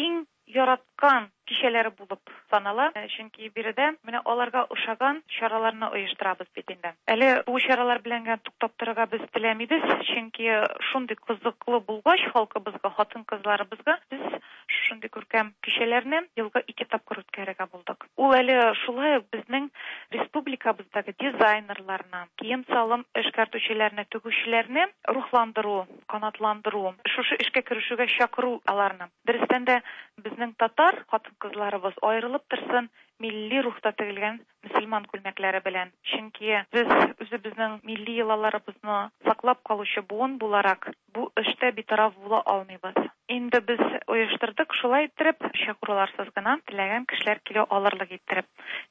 иң яраткан кичәләре булып санала. Чөнки биредә менә аларга ошаган чараларны оештырабыз бит инде. Әле бу чаралар белән генә туктап торырга без теләмибез, чөнки шундый кызыклы булгач халкыбызга, хатын-кызларыбызга без Шушындый күркәм кичәләрне елга ике тапкыр үткәрергә булдык. Ул әле шулай ук безнең республикабыздагы дизайнерларны, кием-салым эшкәртүчеләрне, тегүчеләрне рухландыру, канатландыру, шушы эшкә керешүгә чакыру аларны. Дөрестән дә, безнең татар хатын-кызларыбыз аерылып торсын милли рухта тегелгән мөселман күлмәкләре белән. Чөнки без үзебезнең милли йолаларыбызны саклап калучы буын буларак, бу эштә битараф була алмыйбыз. Инде без оештырдык шулай иттереп, чакыруларсыз гына теләгән кешеләр килә алырлык иттереп.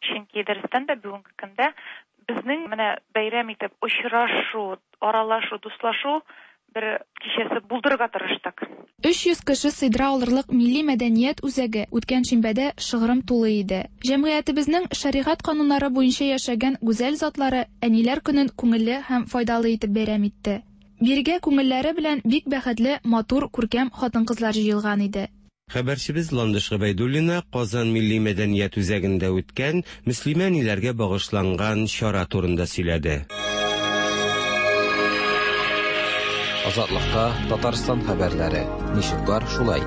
Чөнки дөрестән дә бүгенге көндә безнең менә бәйрәм итеп очрашу, аралашу, дуслашу бер кичәсе булдырырга тырыштык. 300 кеше сыйдыра алырлык Милли мәдәният үзәге үткән шимбәдә шыгрым тулы иде. Җәмгыятебезнең шәригать кануннары буенча яшәгән гүзәл затлары Әниләр көнен күңелле һәм файдалы итеп бәйрәм итте. Бирегә күңелләре белән бик бәхетле, матур, күркәм хатын-кызлар җыелган иде. Хәбәрчебез Ландыш Гобәйдуллина Казан милли мәдәният үзәгендә үткән мөслимә әниләргә багышланган чара турында сөйләде. Азатлыкта Татарстан хәбәрләре. Ничек бар, шулай.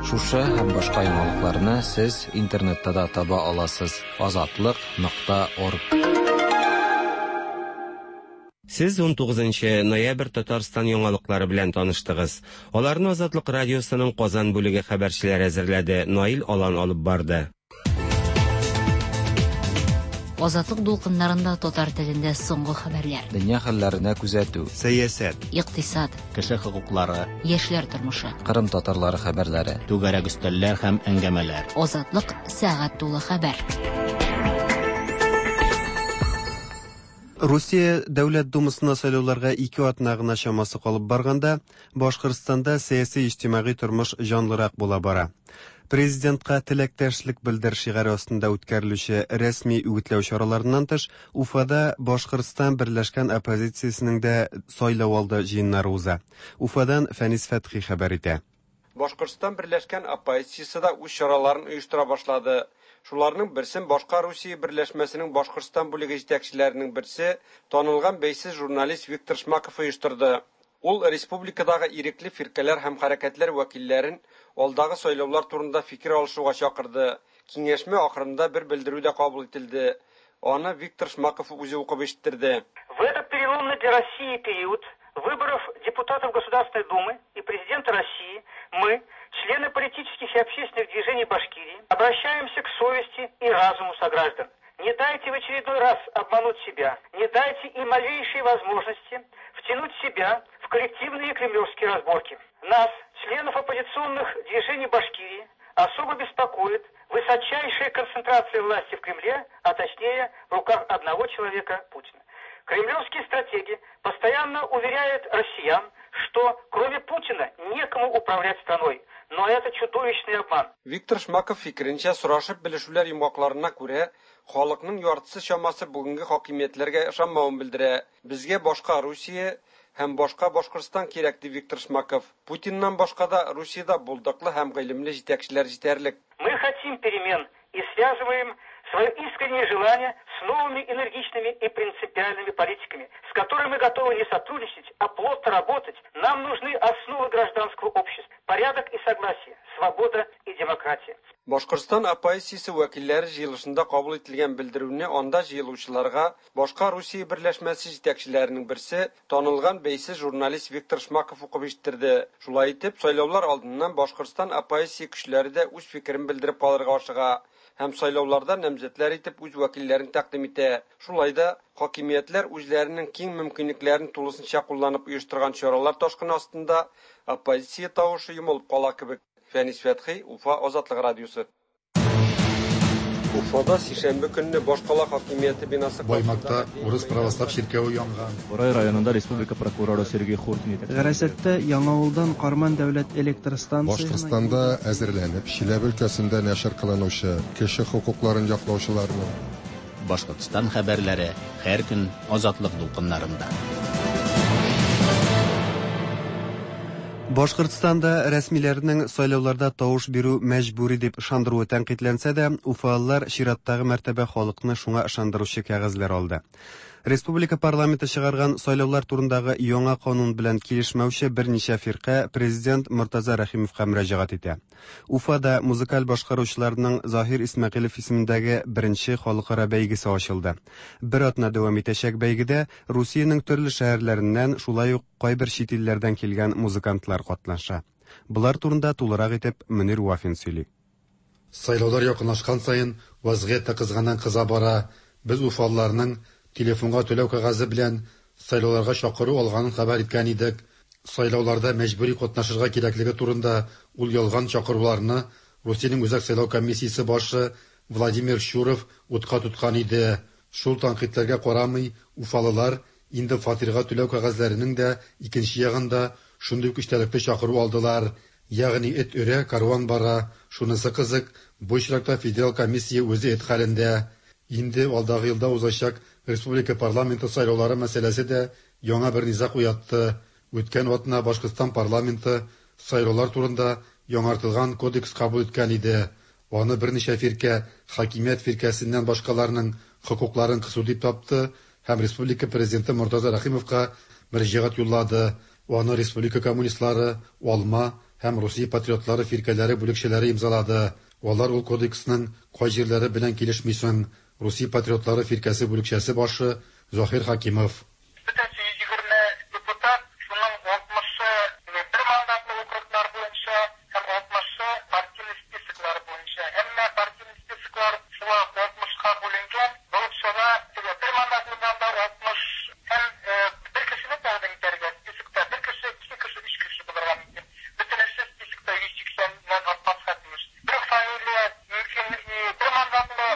Шушы һәм башка яңалыкларны сез интернетта да таба аласыз: азатлык нокта орг. Сез 19 ноябрь Татарстан яңалыклары белән таныштыгыз. Аларны Азатлык радиосының Казан бүлеге хәбәрчеләре әзерләде, Наил Алан алып барды. Азатлык дулкыннарында татар телендә соңгы хәбәрләр. Дөнья хәлләренә күзәтү. Сәясәт. Икътисад. Кеше хокуклары. Яшьләр тормышы. Кырым татарлары хәбәрләре. Түгәрәк өстәлләр һәм әңгәмәләр. Азатлык сәгать тулы хәбәр. Русия Дәүләт Думасына сайлауларга ике атна гына чамасы калып барганда, Башкортстанда сәяси-иҗтимагый тормыш җанлырак була бара. Президентка теләктәшлек белдер шигаре астында үткәрелүче рәсми үгетләү чараларыннан тыш, Уфада Башкортстан берләшкән оппозициясенең дә сайлау алды җыеннары уза. Уфадан Фәнис Фәтхи хәбәр итә. Башкортстан берләшкән оппозициясе дә үз чараларын оештыра башлады. Шуларның берсен Башка Русия берләшмәсенең Башкортстан бүлеге җитәкчеләренең берсе, танылган бәйсез журналист Виктор Шмаков оештырды. Ул республикадагы ирекле фиркәләр һәм хәрәкәтләр вәкилләрен алдагы сайлаулар турында фикер алышуга чакырды. Киңәшмә ахырында бер белдерү дә кабул ителде. Аны Виктор Шмаков үзе укып ишеттерде. В этот переломный для России период выборов депутатов Государственной Думы и президента России мы, члены политических и общественных движений Башкирии, обращаемся к совести и разуму сограждан. Не дайте в очередной раз обмануть себя, не дайте и малейшей возможности втянуть себя в коллективные кремлевские разборки. Нас, членов оппозиционных движений Башкирии, особо беспокоит высочайшая концентрация власти в Кремле, а точнее в руках одного человека Путина. Кремлевские стратеги постоянно уверяют россиян, что кроме Путина некому управлять страной. Но это чудовищный обман. Виктор Шмаков фикеренчә, сорашып белешүләр йомгакларына күрә, халыкның яртысы чамасы бүгенге хакимиятләргә ышанмавын белдерә. Безгә башка Русия һәм башка Башкортстан кирәк, ди Виктор Шмаков. Путиннан башка да Русиядә булдыклы һәм гыйлемле җитәкчеләр җитәрлек. Мы хотим перемен и связываем свое искреннее желание с новыми энергичными и принципиальными политиками, с которыми мы готовы не сотрудничать, а плотно работать. Нам нужны основы гражданского общества, порядок и согласие, свобода и демократия. Башкортстан оппозициясе вәкилләре җыелышында кабул ителгән белдерүне анда җыелучыларга Башка Русия берләшмәсе җитәкчеләренең берсе, танылган бәйсез журналист Виктор Шмаков укып ишеттерде. Шулай итеп, сайлаулар алдыннан Башкортстан оппозиция көчләре дә үз фикерен белдереп калырга ашыга һәм сайлауларда намзәтләр итеп үз вәкилләрен тәкъдим итә. Шулай да хакимиятләр үзләренең киң мөмкинлекләрен тулысынча кулланып оештырган чаралар ташкыны астында оппозиция тавышы йомылып кала кебек. Фәнис Фәтхи, Уфа, Азатлык радиосы. Уфада сишәмбе көнне башкала хакимияте бинасы Баймакта урыс православ чиркәве янган. Борай районында республика прокуроры Сергей Хуртин итәкчелегендә. Гарәсәттә Яңавылдан Карман дәүләт электр станциясенә Башкортстанда әзерләнеп, Чиләбе өлкәсендә нәшер кылынучы кеше хокукларын яклаучыларның Башкортстан хәбәрләре һәр көн Азатлык дулкыннарында. Башкортстанда рәсмиләрнең сайлауларда тавыш бирү мәҗбүри дип ышандыруы тәнкыйтьләнсә дә, уфалылар чираттагы мәртәбә халыкны шуңа ышандыручы кәгазьләр алды. Республика парламенты чыгарган сайлаулар турындагы яңа канун белән килешмәүче берничә фирка президент Мортаза Рәхимовка мөрәҗәгать итә. Уфада музыкаль башкаручыларның Заһир Исмәгыйлев исемендәге беренче халыкара бәйгесе ачылды. Бер атна дәвам итәчәк бәйгедә Русиянең төрле шәһәрләреннән, шулай ук кайбер чит илләрдән килгән музыкантлар катнаша. Болар турында тулырак итеп Мөнир Вафин сөйли. Сайлаулар якынлашкан саен вазгыять тә кызганнан-кыза бара. Без уфалыларның телефонга түләү кәгазе белән сайлауларга чакыру алганын хәбәр иткән идек. Сайлауларда мәҗбүри катнашырга кирәклеге турында ул ялган чакыруларны Русиянең Үзәк сайлау комиссиясе башы Владимир Щуров утка тоткан иде. Шул тәнкыйтьләргә карамый, уфалылар инде фатирга түләү кәгазьләренең дә икенче ягында шундый ук эчтәлекле чакыру алдылар. Ягъни эт өрә, кәрван бара. Шунысы кызык, бу очракта федераль комиссия үзе эт хәлендә. Инде алдагы елда узачак республика парламенты сайлаулары мәсьәләсе дә яңа бер низаг уятты. Үткән атна Башкортстан парламенты сайлаулар турында яңартылган кодекс кабул иткән иде. Аны берничә фиркә хакимият фиркәсеннән башкаларның хокукларын кысу дип тапты һәм республика президенты Мортаза Рәхимовка мөрәҗәгать юллады. Аны республика коммунистлары, Алма һәм Русия патриотлары фиркәләре бүлекчәләре имзалады. Алар ул кодексның кай җирләре белән килешми соң? Русия патриотлары фиркәсе бүлекчәсе башы Заһир Хакимов. Бөтенесе 120 депутат, шуның 60-ы бер мандатлы округлар буенча һәм 60-ы партийный списоклар буенча. Әмма партийный списоклар шулай ук 60-ка бүленгән. Булып чыга, теге бер мандатлыдан да 60 һәм бер кешене тәкъдим итәргә списокта бер кеше, ике кеше, өч кеше булырга мөмкин. Бөтенесе списокта 180 нән артмаска тиеш. Бер үк фамилия мөмкин и бер мандатлы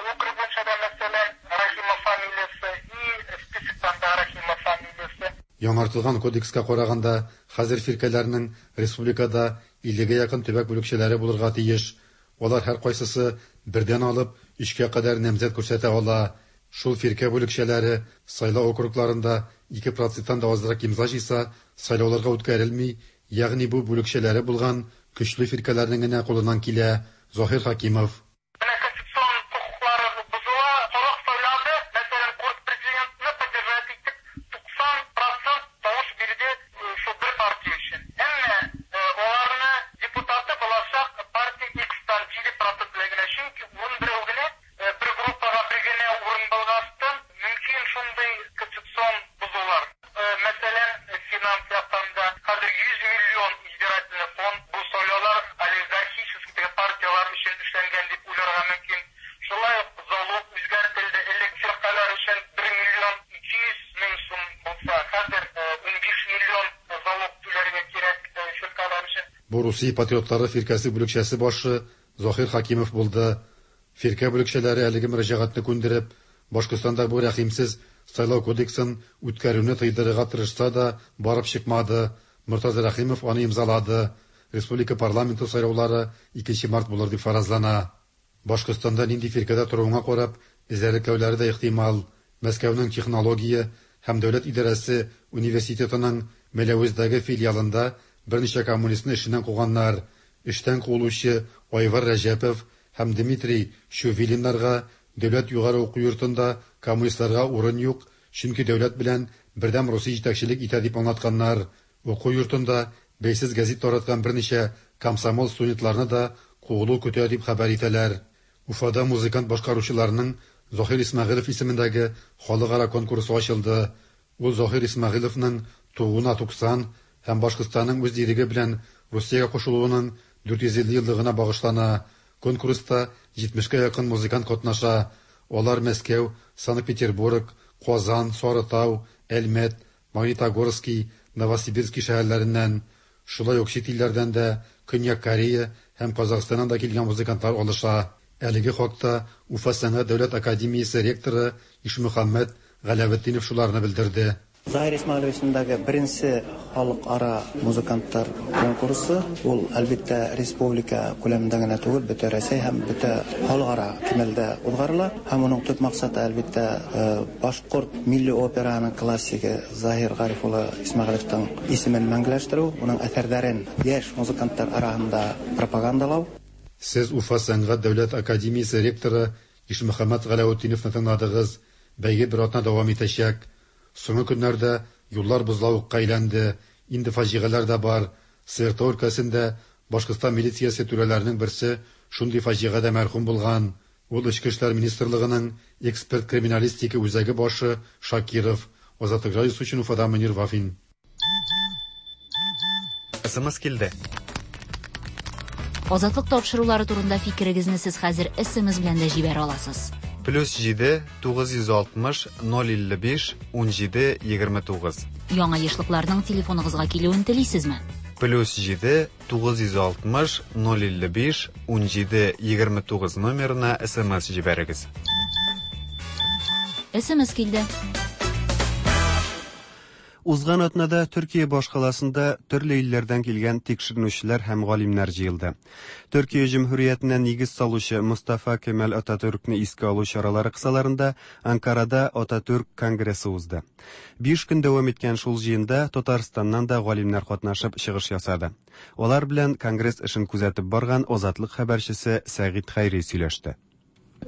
округ буенча да, мәсәлән, Рахимов фамилиясе и списоктан да Рахимов фамилиясе. Яңартылган кодекска караганда, хәзер фиркәләрнең республикада 50 гә якын төбәк бүлекчәләре булырга тиеш. Алар һәркайсысы бердән алып өчкә кадәр намзәт күрсәтә ала. Шул фиркә бүлекчәләре сайлау округларында 2 проценттан да азрак имза җыйса, сайлауларга үткәрелми, ягъни бу бүлекчәләре булган көчле фиркәләрнең генә кулыннан килә. Заһир Хакимов. Менә конституцион хокуклары бозыла, халык сайлады, мәсәлән, Курс президентны поддержать итеп, 90 процент тавыш бирде шул бер партия өчен. Әмма аларны депутаты булачак партия X-тан 7 процент белән генә, чөнки 11 генә бер группага бер генә урын булгастын, мөмкин шундый конституцион бозулар. Мәсәлән, финанс яктан да хәзер 100 миллион избирательный фонд, бу сайлаулар олигархический партиялар өчен эшләнгән дип уйларга мөмкин. Шулай ук залог үзгәртелде. Элек фиркалар өчен 1 миллион 200 мең сум булса, хәзер 15 миллион залог түләргә кирәк фиркалар өчен. Бу Русия патриотлары фиркәсе бүлекчәсе башы Заһир Хакимов булды. Фиркә бүлекчәләре әлеге мөрәҗәгатьне күндереп, Башкортстанда бу рәхимсез сайлау кодексын үткәрүне тыйдырырга тырышса да, барып чыкмады. Мортаза Рәхимов аны имзалады. Республика парламенты сайлаулары 2 март булыр дип фаразлана. Башкортстанда нинди фиркәдә торуыңа карап, эзәрлекләүләре дә ихтимал. Мәскәүнең технология һәм дәүләт идарәсе университетының Мәләвездәге филиалында берничә коммунистны эшеннән куганнар. Эштән куылучы Айвар Рәҗәпов һәм Дмитрий Чувилиннарга дәүләт югары уку йортында коммунистларга урын юк, чөнки дәүләт белән Бердәм Русия җитәкчелек итә дип аңлатканнар. Уку йортында бәйсез гәзит тараткан берничә комсомол студентларны да куылу көтә дип хәбәр итәләр. Уфада музыкант башкаручыларның Заһир Исмәгыйлев исемендәге халыкара конкурсы ачылды. Ул Заһир Исмәгыйлевның тууына 90 һәм Башкортстанның үз иреге белән Русиягә кушылуының 450 еллыгына багышлана. Конкурста 70-кә якын музыкант катнаша. Алар Мәскәү, Санкт-Петербург, Казан, Сарытау, Әлмәт, Магнитогорский, Новосибирский шәһәрләреннән, шулай ук чит илләрдән дә Көньяк Корея һәм Казахстаннан да килгән музыкантлар алыша. Әлеге хакта Уфа сәнгать дәүләт академиясе ректоры Ишмөхәммәт Галәветдинов шуларны белдерде. Заһир Исмәгыйлев исемендәге беренче халыкара музыкантлар конкурсы ул, әлбәттә, республика күләмендә генә түгел, бөтә Рәсәй һәм бөтә халыкара кимәлдә уҙғарыла. Һәм уның төп маҡсаты, әлбәттә, башҡорт милли операһының классигы Заһир Ғариф улы Исмәғилевтең исемен мәңгеләштереү, уның әҫәрҙәрен йәш музыканттар араһында пропагандалау. Сез Уфа сәнгать дәүләт академиясе ректоры Ишмөхәммәт Галәветдиновны тыңладыгыз. Бәйге бер атна дәвам итәчәк. Соңгы көннәрдә юллар бозлавыкка әйләнде. Инде фаҗигаләр дә бар. Свердлов өлкәсендә Башкортстан милициясе түрәләренең берсе шундый фаҗигадә мәрхүм булган. Ул Эчке эшләр министрлыгының эксперт криминалистика үзәге башы Шакиров. Азатлык радиосы өчен Уфадан Мөнир Вафин. СМС килде. Азатлык тапшырулары турында фикерегезне сез хәзер СМС белән дә җибәрә аласыз. Плюс 7 960 055 17 29. Яңа ешлыкларның телефоныгызга килүен телисезме? Плюс 7 960 055 17 29 номерына СМС җибәрегез. СМС килде. Узган атнада Төркия башкаласында төрле илләрдән килгән тикшеренүчеләр һәм галимнәр җыелды. Төркия Җөмһүриятенә нигез салучы Мостафа Кемаль Ататүркне искә алу чаралары кысаларында Анкарада Ататүрк конгрессы узды. Биш көн дәвам иткән шул җыенда Татарстаннан да галимнәр катнашып чыгыш ясады. Алар белән конгресс эшен күзәтеп барган Азатлык хәбәрчесе Сәгыйть Хәйри сөйләште.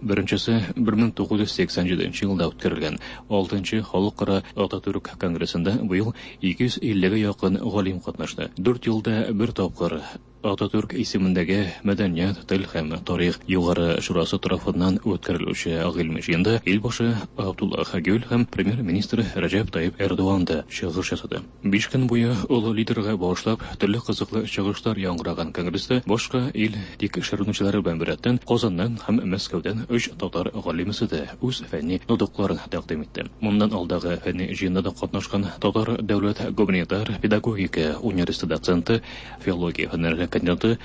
Беренчесе 1987 елда үткәрелгән 6нчы Халыкара Ататүрк конгрессында быел 250 гә якын галим катнашты. Дүрт елда бер тапкыр Ататүрк исемендәге Мәдәният, тел һәм тарих югары шурасы тарафыннан үткәрелүче гыйльми җыенда Илбашы Абдуллах Гюль һәм Премьер-министр Рәҗәп Тайип Эрдоган да чыгыш ясады. Биш көн буе олы лидерга багышлап төрле кызыклы чыгышлар яңгыраган конгресста башка ил тикшеренүчеләре белән беррәттән Казаннан һәм Мәскәүдән өч татар галимесе дә үз фәнни нотыкларын тәкъдим итте. Моннан алдагы фәнни җыенда да катнашкан Татар дәүләт гуманитар педагогика университеты доценты, филология фәннәре кандидаты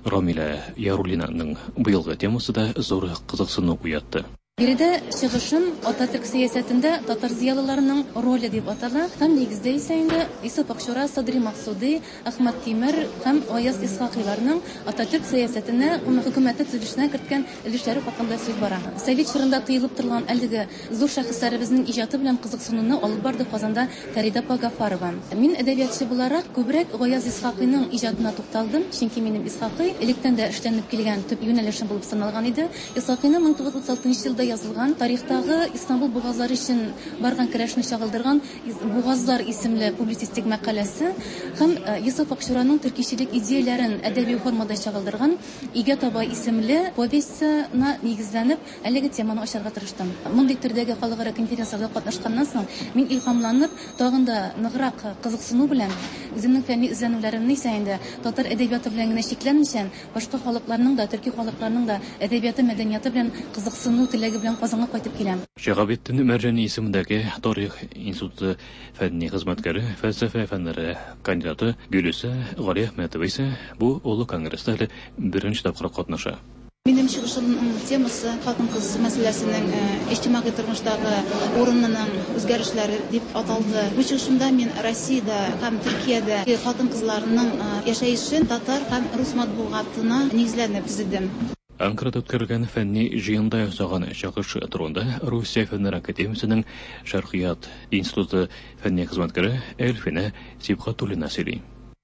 Рамилә Яруллинаның быелгы темасы да зур кызыксыну уятты. Биредә чыгышым Ататөрк сәясәтендә татар зыялыларының роле дип атала һәм нигездә исә инде Йосыф Акчура, Садри Максуди, Әхмәт Тимер һәм Гаяз Исхакыйларның Ататөрк сәясәтенә, хөкүмәте төзелешенә керткән өлешләре хакында сүз бара. Совет чорында тыелып торылган әлеге зур шәхесләребезнең иҗаты белән кызыксынуны алып барды Казанда Фәридә апа Гафарова. Мин әдәбиятчы буларак күбрәк Гаяз Исхакыйның иҗатына тукталдым, чөнки минем Исхакый электән дә эшләнеп килгән төп юнәлешем булып саналган иде. Исхакыйның 1936 елда язылган тарихтагы Истанбул бугазлары өчен барган көрәшне чагылдырган Бугазлар исемле публицистик мәкаләсе һәм Йосыф Акчураның төркичелек идеяләрен әдәби формада чагылдырган Өйгә таба исемле повестена нигезләнеп, Әлеге теманы ачарга тырыштым. Мондый төрдәге халыкара конференцияләрдә катнашканнан соң, мин илһамланып, тагын да ныграк кызыксыну белән, үземнең фәнни эзләнүләремне исә инде татар әдәбияты белән генә чикләнмичә, башка халыкларның да, төрки халыкларның да әдәбияты, мәдәнияты белән кызыксыну теләге белән Казанга кайтып киләм. Шиһабетдин Мәрҗани исемендәге Тарих институты фәнни хезмәткәре, фәлсәфә фәннәре кандидаты Гөлүсә Галиәхмәтова исә бу олы конгресста әле беренче тапкыр катнаша. Минем чыгышымның темасы хатын-кыз мәсьәләсенең иҗтимагый тормыштагы урынының үзгәрешләре дип аталды. Бу чыгышымда мин Россиядә һәм Төркиядә хатын-кызларның яшәешен татар һәм рус матбугатына нигезләнеп төзедем. Анкарада үткәрелгән фәнни җыенда ясаган чыгыш турында Русия Фәннәр академиясенең Шәркыят институты фәнни хезмәткәре Әлфинә Сибгатуллина сөйли.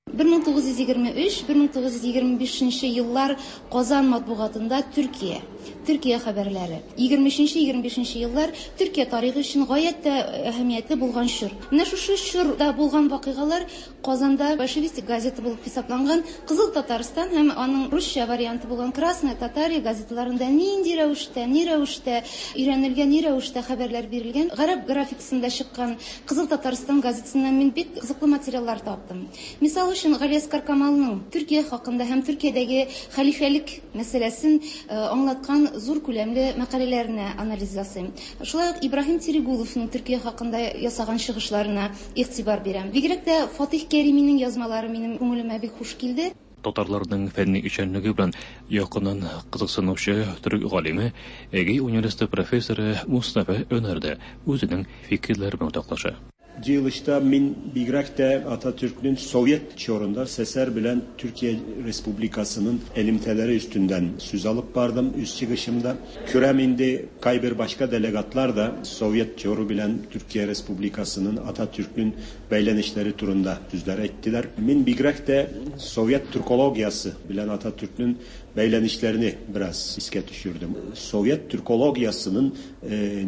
1923, 1925 нче еллар Казан матбугатында Төркия, Төркия хәбәрләре. 23 нче, 25 нче еллар Төркия тарихы өчен гаять тә әһәмиятле булган чор. Менә шушы чорда булган вакыйгалар Казанда большевистик газета булып хисапланган Кызыл Татарстан һәм аның русча варианты булган Красная Татария газеталарында нинди рәвештә, ни рәвештә өйрәнелгән, ни рәвештә хәбәрләр бирелгән. Гарәп графикасында чыккан Кызыл Татарстан газетасыннан мин бик кызыклы материаллар таптым. Мисал өчен, Галиәсгар Камалның Төркия хакында һәм Төркиядәге хәлифәлек мәсьәләсен аңлаткан зур күләмле мәкаләләренә анализ ясыйм. Шулай ук Ибраһим Терегуловның Төркия хакында ясаган чыгышларына игътибар бирәм. Бигрәк тә Фатыйх Кәриминең язмалары минем күңелемә бик хуш килде. Татарларның фәнни эшчәнлеге белән якыннан кызыксынучы төрек галиме, Эгей университеты профессоры Мустафа Өнәр дә үзенең фикерләре белән уртаклаша. Җыелышта мин бигрәк тә Ататүркнең Совет чорында СССР белән Төркия Республикасының элемтәләре өстендән сүз алып бардым үз чыгышымда. Күрәм инде, кайбер башка делегатлар да Совет чоры белән Төркия Республикасының, Ататүркнең бәйләнешләре турында сүзләр әйттеләр. Мин бигрәк тә Совет түркологиясе белән Ататүркнең бәйләнешләрне бераз искә төшердем. Совет түркологиясенең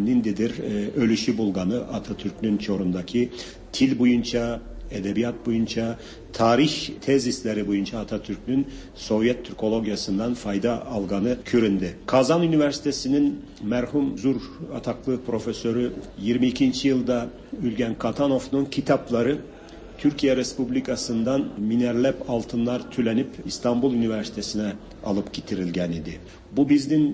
ниндидер өлеше булганы Ататүркнең чорындагы тел буенча, әдәбият буенча, тарих тезисләре буенча Ататүркнең Совет түркологиясеннән файда алганы күренде. Казан университетының мәрхүм зур атаклы профессоры 22 нче елда Үлгән Катановның китаплары Төркия Республикасыннан меңәрләп алтыннар түләнеп Истанбул университетына алып китерелгән иде. Бу безнең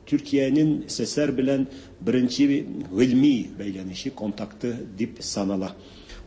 Төркиянең СССР белән беренче гыйльми бәйләнеше, контакты дип санала.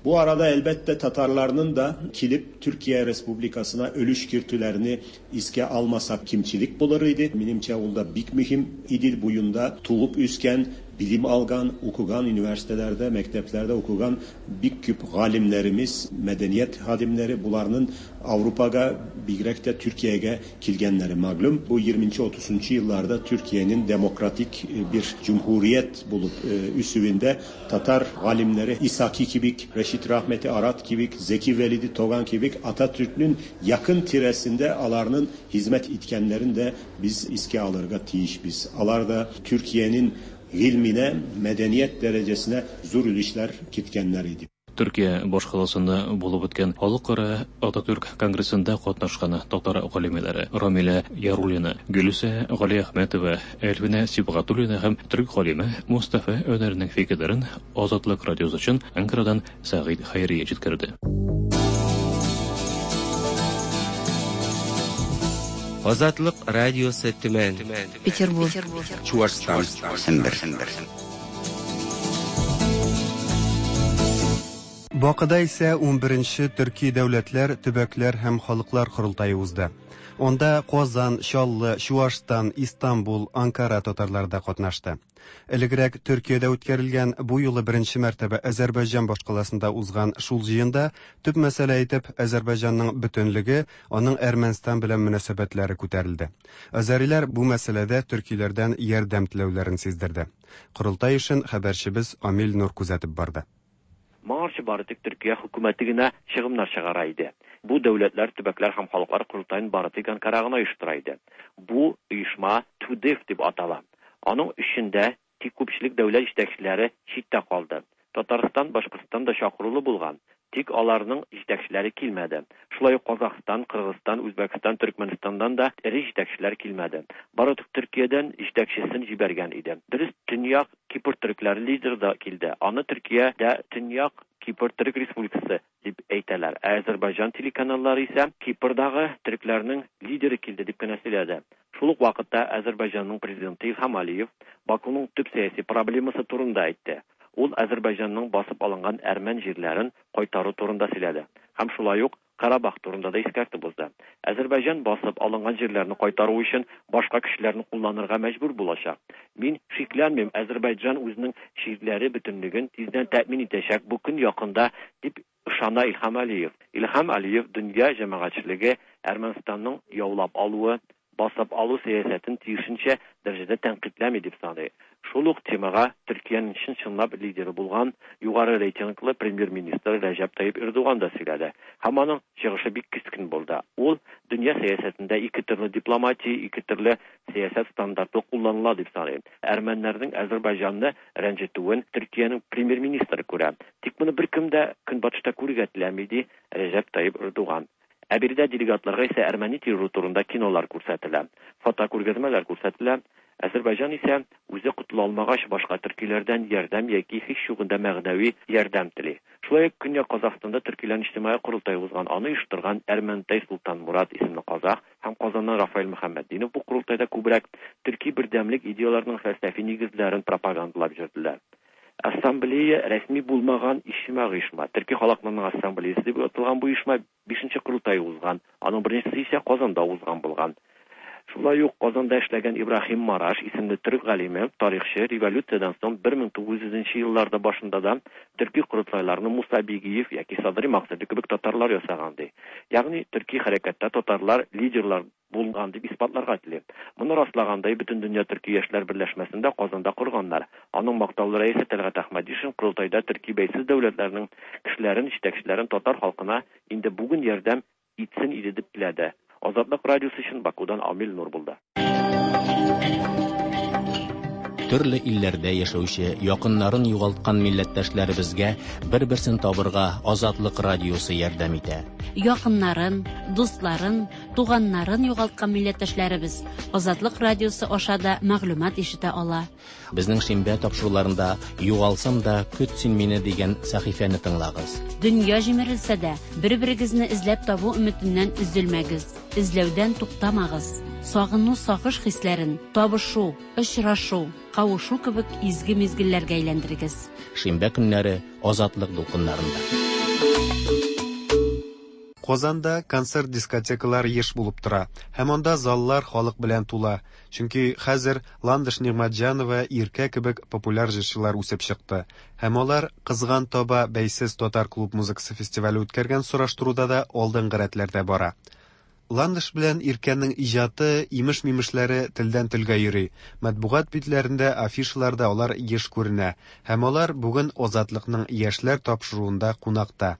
Бу арада, әлбәттә, татарларның да килеп Төркия Республикасына өлеш кертүләрне искә алмасак кимчелек булыр иде. Минемчә, ул да бик мөһим. Идел буенда туып үскән. Билим алган, укыган университетләрдә, мәктәпләрдә укыган бик күп галимнәребез, мәдәният хадимнәре буларның Аврупага, бигрәк тә Төркиягә килгәннәре мәгълүм. Бу 20-30 елларда Төркиянең демократик бер җөмһүрият булып үсүендә татар галимнәре Исаки кебек, Рәшит Рәхмәти Арат кебек, Зәки Вәлиди Тоган кебек Ататөркнең якын тирәсендә аларның хезмәт иткәннәрен дә без искә алырга тиешбез. Алар да Төркиянең гыйльменә, мәдәният дәрәҗәсенә зур өлешләр керткәннәр иде. Төркия башкаласында булып үткән Халыкара Ататүрк конгрессында катнашкан татар галимәләре Рамилә Яруллина, Гөлүсә Галиәхмәтова, Әлфинә Сибгатуллина һәм төрек галиме Мостафа Өнәрнең фикерләрен Азатлык радиосы өчен Анкарадан Сәгыйть Хәйри җиткерде. Азатлык радиосы Төмән. Петербург. Чуашстан. Сембер. Бакыда исә 11нче Төрки дәүләтләр, төбәкләр һәм халыклар корылтае узды. Анда Казан, Чаллы, Чуашстан, Истанбул, Анкара татарлары да катнашты. Элегрәк Төркиядә үткәрелгән, бу юлы беренче мәртәбә Азәрбайҗан башкаласында узган шул җыенда төп мәсьәлә итеп Азәрбайҗанның бөтенлеге, аның Әрмәнстан белән мөнәсәбәтләре күтәрелде. Азәриләр бу мәсьәләдә төркиләрдән ярдәм теләүләрен сиздерде. Корылтай эшен хәбәрчебез Амил Нур күзәтеп барды. Моңарчы бары тик Төркия хөкүмәте генә чыгымнар чыгара иде. Бу дәүләтләр, төбәкләр һәм халыклар корылтаен бары тик Анкара гына оештыра иде. Бу оешма ТҮДЕФ дип атала. Аның эшендә тик күпчелек дәүләт җитәкчеләре читтә калды. Татарстан, Башкортстан да чакырулы булган, тик аларның җитәкчеләре килмәде. Шулай ук Казахстан, Кыргызстан, Үзбәкстан, Төркмәнстаннан да эре җитәкчеләр килмәде. Бары тик Төркиядән җитәкчесен җибәргән иде. Дөрес, Төньяк Кипр төрекләре лидеры да килде. Аны Төркиядә Төньяк Кипр Төрек Республикасы дип әйтәләр. Ә Азәрбайҗан телеканаллары исә Кипрдагы төрекләрнең лидеры килде дип кенә сөйләде. Шул ук вакытта Азәрбайҗанның президенты Илһам Алиев Бакуның төп сәяси проблемасы турында әйтте. Ул Азәрбайҗанның басып алынган әрмән җирләрен кайтару турында сөйләде һәм шулай ук Карабах турында да искәртеп узды. Азәрбайҗан басып алынган җирләрне кайтару өчен башка көчләрне кулланырга мәҗбүр булачак. Мин шикләнмим, Азәрбайҗан үзенең җирләре бөтенлеген тиздән тәэмин итәчәк, бу көн якында, дип ышана Илһам Алиев. Илһам Алиев дөнья җәмәгатьчелеге Әрмәнстанның яулап алуы, басып алу сәясәтен тиешенчә дәрәҗәдә тәнкыйтьләми дип саный. Шул ук темага Төркиянең чын-чынлап лидеры булган югары рейтинглы премьер-министры Рәҗәп Тайип Эрдоган да сөйләде. Һәм аның чыгышы бик кискен булды. Ул дөнья сәясәтендә ике төрле дипломатия, ике төрле сәясәт стандарты кулланыла дип саный. Әрмәннәрнең Азәрбайҗанны рәнҗетүен Төркиянең премьер-министры күрә. Тик моны беркем дә Көнбатышта күрергә теләми, ди Рәҗәп Тайип Эрдоган. Ә биредә делегатларга исә әрмәни терроры турында кинолар күрсәтелә, фотокүргәзмәләр күрсәтелә. Азәрбайҗан исә, үзе котыла алмагач, башка төркиләрдән ярдәм яки һич югында мәгънәви ярдәм тели. Шулай ук Көньяк Казахстанда төркиләрнең иҗтимагый корылтае узган, аны оештырган Әрмәнтай Солтанмурат исемле казах һәм Казаннан Рафаэль Мөхәммәтдинов бу корылтайда күбрәк төрки бердәмлек идеяләренең фәлсәфи нигезләрен пропагандалап йөрделәр. Ассамблея рәсми булмаган иҗтимагый оешма. Төрки халыкларның ассамблеясы дип аталган бу оешма бишенче корылтае узган. Аның беренчесе исә Казанда узган булган. Шулай ук Казанда эшләгән Ибраһим Мараш исемле төрек галиме, тарихчы революциядән соң 1900 нче елларда башында да төрки корылтайларны Муса Бигиев яки Садри Максуди кебек татарлар ясаган ди. Ягъни төрки хәрәкәттә татарлар лидерлар булган дип исбатларга тели. Моны раслагандай, Бөтендөнья төрки яшьләр берләшмәсен дә Казанда корганнар. Аның мактаулы рәисе Тәлгать Әхмәдишин корылтайда төрки бәйсез дәүләтләрнең кешеләрен, җитәкчеләрен татар халкына инде бүген ярдәм итсен иде дип теләде. Азатлык радиосы өчен Бакудан Амил Нур булды. Төрле илләрдә яшәүче, якыннарын югалткан милләттәшләребезгә бер-берсен табырга Азатлык радиосы ярдәм итә. Якыннарын, дусларын, туганнарын югалткан милләттәшләребез Азатлык радиосы аша да мәгълүмат ишетә ала. Безнең шимбә тапшыруларында Югалсам да, көт син мине дигән сәхифәне тыңлагыз. Дөнья җимерелсә дә, бер-берегезне эзләп табу өметеннән өзелмәгез, эзләүдән туктамагыз. Сагыну, сагыш хисләрен табышу, очрашу, кавышу кебек изге мизгелләргә әйләндерегез. Шимбә көннәре Азатлык дулкыннарында. Казанда концерт-дискотекалар еш булып тора һәм анда заллар халык белән тула, чөнки хәзер Ландыш Нигъмәтҗанова, Иркә кебек популяр җырчылар үсеп чыкты һәм алар Кызган таба бәйсез татар клуб музыкасы фестивале үткәргән сораштыруда да алдынгы рәтләрдә бара. Ландыш белән Иркәнең иҗаты, имеш-мимешләре телдән-телгә йөри, матбугат битләрендә, афишаларда алар еш күренә һәм алар бүген Азатлыкның Яшьләр тапшыруында кунакта.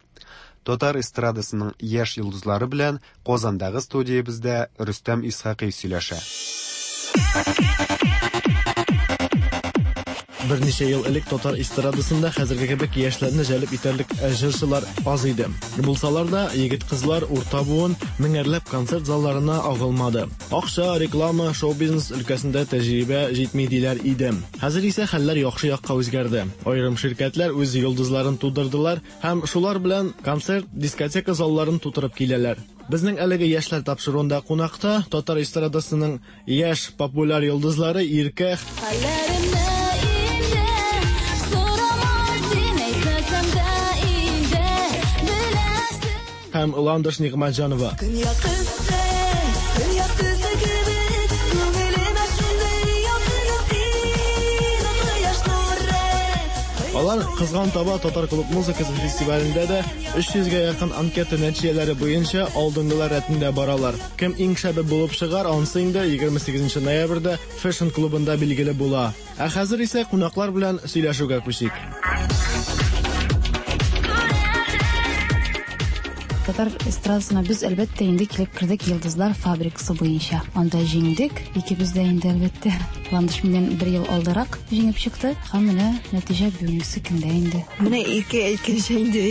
Татар эстрадасының яшь йолдызлары белән Казандагы студиябездә Рөстәм Исхакый сөйләшә. Берничә ел элек татар эстрадасында хәзерге кебек яшьләрне җәлеп итәрлек җырчылар аз иде. Булсалар да, егет-кызлар, урта буын меңәрләп концерт залларына агылмады. Акча, реклама, шоу-бизнес өлкәсендә тәҗрибә җитми диләр иде. Хәзер исә хәлләр яхшы якка үзгәрде. Аерым ширкәтләр үз йолдызларын тудырдылар һәм шулар белән концерт, дискотека залларын тутырып киләләр. Безнең әлеге яшьләр тапшыруында кунакта татар эстрадасының яшь популяр йолдызлары Иркә Хәлләремне инде сорама син, әйтмәсәм дә инде беләсең. Һәм Ландыш Нигъмәтҗанова. Көньяк төсе, көньяк төсе кебек, күңелемә шундый якын син, кояш нуры. Алар Кызган таба татар клуб музыкасы фестивалендә дә 300 гә якын анкета нәтиҗәләре буенча алдынгылар рәтендә баралар. Кем иң шәбе булып чыгар, ансы инде 28 ноябрьдә Fashion клубында билгеле була. Ә хәзер исә кунаклар белән сөйләшүгә күчик. Татар эстрадасына без, әлбәттә, инде килеп кердек Йолдызлар фабрикасы буенча. Анда җиңдек. Икебез дә инде, әлбәттә. Ландыш миннән бер ел алдарак җиңеп чыкты. Һәм менә нәтиҗә бүгенге көндә инде. Менә Иркә әйткәнчә инде,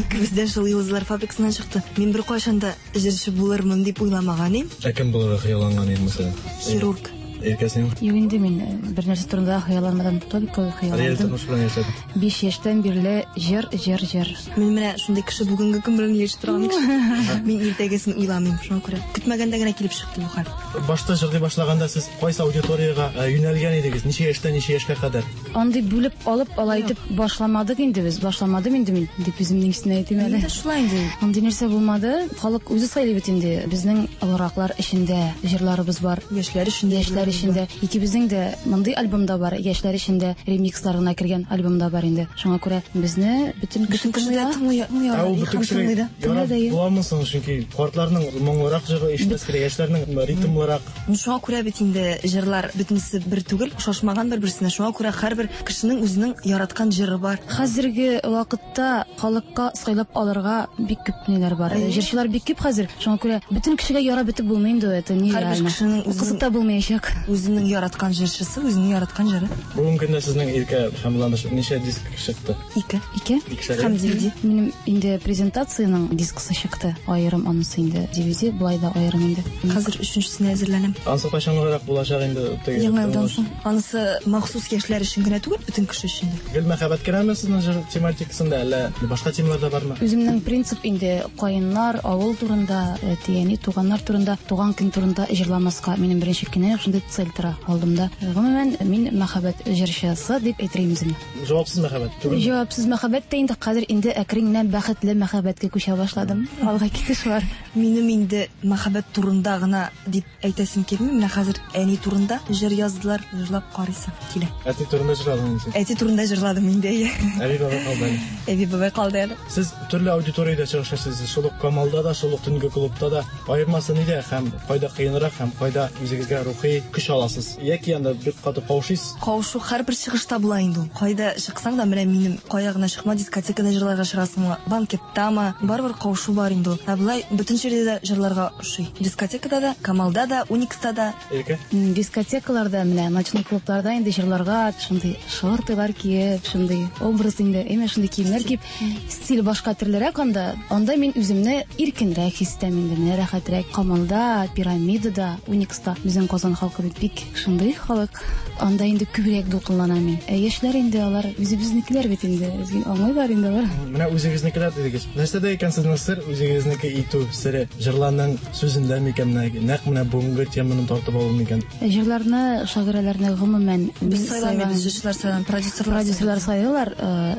икебез дә шул Йолдызлар фабрикасыннан чыкты. Мин беркайчан да җырчы булырмын дип уйламаган идем. Ә кем булырга хыялланган идең, мәсәлән? Хирург. Иркә, син? Юк инде, мин бер нәрсә турында да хыялланмадым, только Реаль хыялландым. тормыш белән яшәдең. 5 яшьтән бирле җыр, җыр, җыр. Мин менә шундый кеше, бүгенге көн белән яши торган кеше. Мин иртәгесен уйламыйм, шуңа күрә. Көтмәгәндә генә килеп чыкты бу хәл. Башта җырлый башлаганда сез кайсы аудиториягә юнәлгән идегез? Ничә яшьтән ничә яшькә кадәр? Андый бүлеп алып, алай итеп башламадык инде без. Башламадым инде мин, дип үземнең өстенә әйтим әле. Инде шулай инде. Андый нәрсә булмады. Халык үзе сайлый бит инде. Безнең олыраклар эчендә җырларыбыз бар. Яшьләр эчендә. Яшьләр эчендә. Икебезнең дә мондый альбомда бар. Яшьләр эчендә ремикслар гына кергән альбомда бар инде. Шуңа күрә безне бөтен кеше тыңлый. Ә ул бөтен кешегә ярап буламы соң? Чөнки картларның моңлырак җыры ишетәсе килә, яшьләрнең ритмлырак. Шуңа күрә бит инде җырлар бөтенесе бер түгел, охшашмаган бер-берсенә. Шуңа күрә һәрбер кешенең үзенең яраткан җыры бар. Хәзерге вакытта халыкка сайлап алырга бик күп ниләр бар. Җырчылар бик күп хәзер. Шуңа күрә бөтен кешегә ярап бетеп булмый инде, это Һәрбер нереально. кешенең Кызык та булмаячак. Үзенең яраткан җырчысы, үзенең яраткан җыры. Бүгенге көндә сезнең Иркә һәм Ландыш ничә диск чыкты? Ике. Ике. Икешәр. Һәм DVD. Минем инде презентациянең дискысы чыкты. Аерым анысы инде DVD, болай да аерым инде. Хәзер өченчесенә әзерләнәм. Ансы кайчанрак булачак инде? Теге Яңа елдан соң. Анысы махсус яшьләр өчен генә түгел, бөтен кеше өчен дә. Гел мәхәббәт кенәме сезнең җыр тематикасында, әллә башка темалар да бармы? Үземнең принцип инде каеннар, авыл турында, әти-әни, туганнар турында, туган көн турында җырламаска. Минем беренче көннән үк шундый цель тора алдымда. Гомумән, мин мәхәббәт җырчысы дип әйтер идем үземне. Җавапсыз мәхәббәт түгелме? Җавапсыз мәхәббәт тә инде хәзер инде әкрен генә бәхетле мәхәббәткә күчә башладым. Алга китеш бар. Минем инде мәхәббәт турында гына дип әйтәсем килми. Менә хәзер әни турында җыр яздылар, җырлап карыйсым килә. Әти турында җырладың инде син. Әти турында җырладым инде, әйе. Әби бабай калды әле. Әби бабай калды әле. Сез төрле аудиториядә чыгыш ясыйсыз. Шул ук Камалда да, шул ук төнге клубта да. Аермасы нидә һәм кайда кыенрак һәм кайда үзегезгә рухи көч аласыз? Яки анда бик каты каушыйсыз? Каушу һәрбер чыгышта була инде ул. Кайда чыксаң да, менә минем кая гына чыкма, дискотекада җырларга чыгасыңмы, банкеттамы, барыбер каушу бар инде ул. Ә болай бөтен җирдә дә җырларга ошый. Дискотекада да, Камалда да, Уникста да. Иркә? Дискотекаларда, менә ночной клубларда инде җырларга шундый шортылар киеп, шундый образ инде, әмма шундый киемнәр киеп, стиль башка төрлерәк анда. Анда мин үземне иркенрәк хис итәм инде, менә рәхәтрәк. Камалда, Пирамидада, Уникста безнең Казан халкы бит. бит бик шундый халык. Анда инде күбрәк дулкынланам мин. Ә яшьләр инде алар үзебезнекеләр бит инде. Безгә аңлыйлар инде алар. Менә үзегезнекеләр дидегез. Нәрсәдә икән сезнең сер, үзегезнеке итү сере? Җырларның сүзендә микән менә, нәкъ менә бүгенге теманы тартып алу микән? Җырларны, шагыйрәләрне гомумән Без сайламыйбыз, җырчылар сайлам, продюсерлар. Продюсерлар сайлыйлар,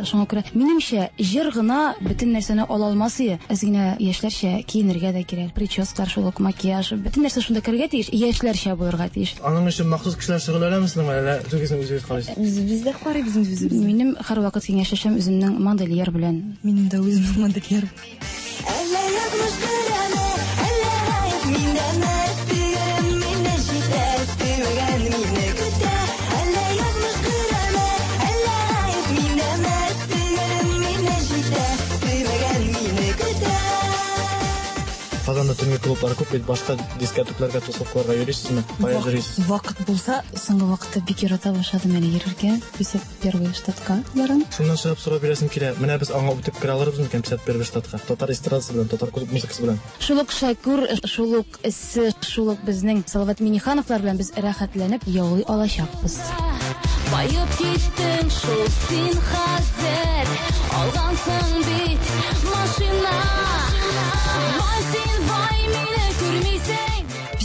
шуңа күрә минемчә җыр гына бөтен нәрсәне ала алмас ие. Әз генә яшьләрчә киенергә дә кирәк. Прическалар шул ук, макияж, бөтен нәрсә шунда керергә тиеш, яшьләрчә булырга тиеш. Аның өчен махсус кешеләр шөгыльләнәме сезнең белән, әллә үзегезне үзегез карыйсыз? Үзебез дә карыйбыз инде үзебез. Минем һәрвакыт киңәшләшәм үземнең модельер белән. Минем дә үземнең модельер. Әллә язмыш керәме, әллә гаеп миндәме, Сөярем мине җитә, сөймәгән мине көтә. Әллә язмыш керәме, әллә гаеп миндәме, Сөйгәнем мине җитә, сөймәгән мине көтә. Казанда төнге клублар күп бит, башка дискотекларга, тусовкаларга йөрисезме? Кая йөрисез? Вакыт булса, Соңгы вакытта бик ярата башладым әле йөрергә. 51 штатка барам. Шуннан чыгып сорау бирәсем килә. Менә без аңа үтеп керә алырбыз микән 51 штатка? Татар эстрадасы белән, татар клуб музыкасы белән. Шул ук Шәкүр, шул ук Эссе, шул ук безнең Салават Миңнехановлар белән без рәхәтләнеп яулый алачакбыз. Баеп киттең шул син хәзер, алгансың бит машина. Бай син, бай, мине күрмисең.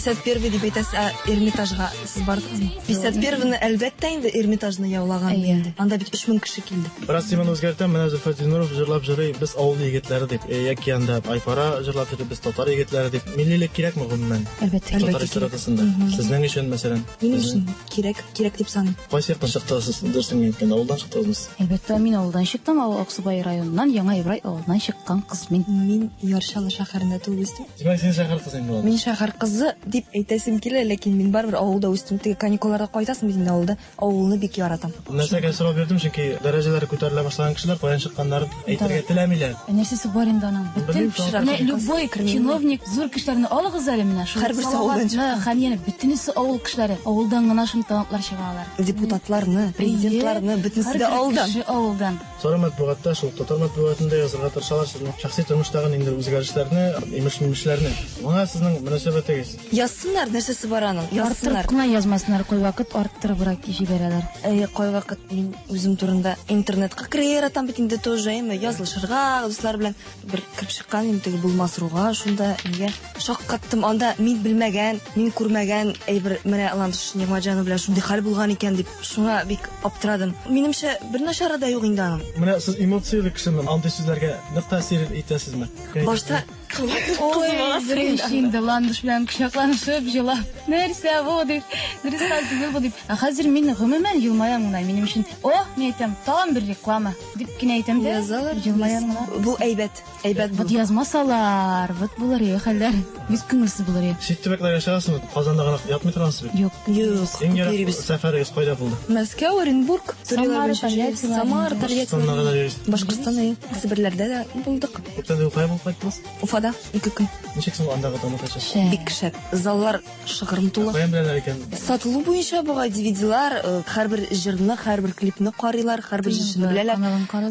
51 дип әйтәсез, ә Эрмитажга сез бардыгызмы? 51-ны әлбәттә инде Эрмитажны яулаган инде. Анда бит 3000 кеше килде. Бераз теманы үзгәртәм, менә Зөлфәт Зиннуров җырлап җырлый, без авыл егетләре дип, яки анда Айфара җырлап йөри, без татар егетләре дип. Миллилек кирәкме гомумән? Әлбәттә. Татар эстрадасында. Сезнең өчен, мәсәлән? Минем өчен кирәк, кирәк дип саныйм. Кайсы яктан чыктыгыз сез, дөресен әйткәндә, авылдан чыктыгызмы сез? Әлбәттә, мин авылдан чыктым, авыл Аксубай районыннан, Яңа Ибрай авылыннан чыккан кыз мин. Мин Яр Чаллы шәһәрендә туып үстем. Димәк, син шәһәр кызы инде. Мин шәһәр кызы дип әйтәсем килә, ләкин мин барыбер авылда үстем. Теге каникулларда кайтасың бит инде авылда. Авылны бик яратам. Нәрсәгә сорау бирдем, чөнки дәрәҗәләре күтәрелә башлаган кешеләр каян чыкканнарын әйтергә теләмиләр. Ә нәрсәсе бар инде аның? Бөтен менә любой чиновник, зур кешеләрне алыгыз әле менә шул. Һәрберсе авылдан чыккан. Хәнияне бөтенесе авыл кешеләре. Авылдан гына шундый талантлар чыга алар. Депутатларны, президентларны, бөтенесе дә авылдан. Кеше авылдан. Соры матбугатта, шул татар матбугатында язырга тырышалар сезнең шәхси тормыштагы ниндидер үзгәрешләрне, имеш-мимешләрне. Моңа сезнең мөнәсәбәтегез? Язсыннар, нәрсәсе бар аның? Язсыннар. Арттырып кына язмасыннар, кайвакыт арттырыбрак җибәрәләр. Әйе, кайвакыт мин үзем турында интернетка керергә яратам бит инде тоже, әйме, язылышырга дуслар белән бер кереп чыккан идем теге булмас руга, шунда нигә шаккаттым. Анда мин белмәгән, мин күрмәгән әйбер, менә Ландыш Нигъмәтҗанова белән шундый хәл булган икән дип, шуңа бик аптырадым. Минемчә, бер начары да юк инде аның. Менә сез эмоцияле кешеме? Андый сүзләргә нык тәэсир итәсезме? Башта Ой, дөрес инде, Ландыш белән кочакланышып җылап. Нәрсә бу дип, дөрес хәл түгел бу дип. Ә хәзер мин гомумән елмаям гына. Минем өчен, о, мин әйтәм, тагын бер реклама дип кенә әйтәм дә. Язалар. Елмаям гына. Бу әйбәт, әйбәт Вот язмасалар, вот булыр иде хәлләр. Бик күңелсез булыр иде. Чит төбәкләргә чыгасызмы? Казанда гына ятмый торгансыз бит? Юк. Юк. Иң ерак сәфәрегез кайда булды? Мәскәү, Оренбург, Самара, Тольятти. Самара, Тольятти. Башкортстанга кадәр йөрисез. Башкортстан, әйе. Себерләрдә дә булдык. Күптән түгел кая булып кайттыгыз? Уфада 2 көн. Ничек соң андагы тамашачы? Бик шәп. Заллар шыгрым тулы. Каян беләләр икән? Сатылу буенча бугай DVD-лар, һәрбер җырны, һәрбер клипны карыйлар, һәрбер җырчыны беләләр,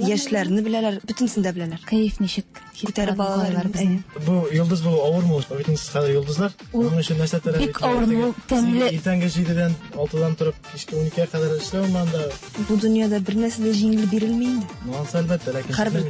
яшьләрне беләләр, бөтенесен дә беләләр. Кәеф ничек? Күтәреп алалар безне. Бу йолдыз булу авырмы ул? Бит сез хәзер йолдызлар. Моның өчен нәрсә таләп Бик авыр, ул тәмле. Иртәнге 7-дән 6-дан торып кичке 12-гә кадәр эшләүме анда? Бу дөньяда бер нәрсә дә җиңел бирелми инде. Ну, ансы әлбәттә, ләкин Һәрбер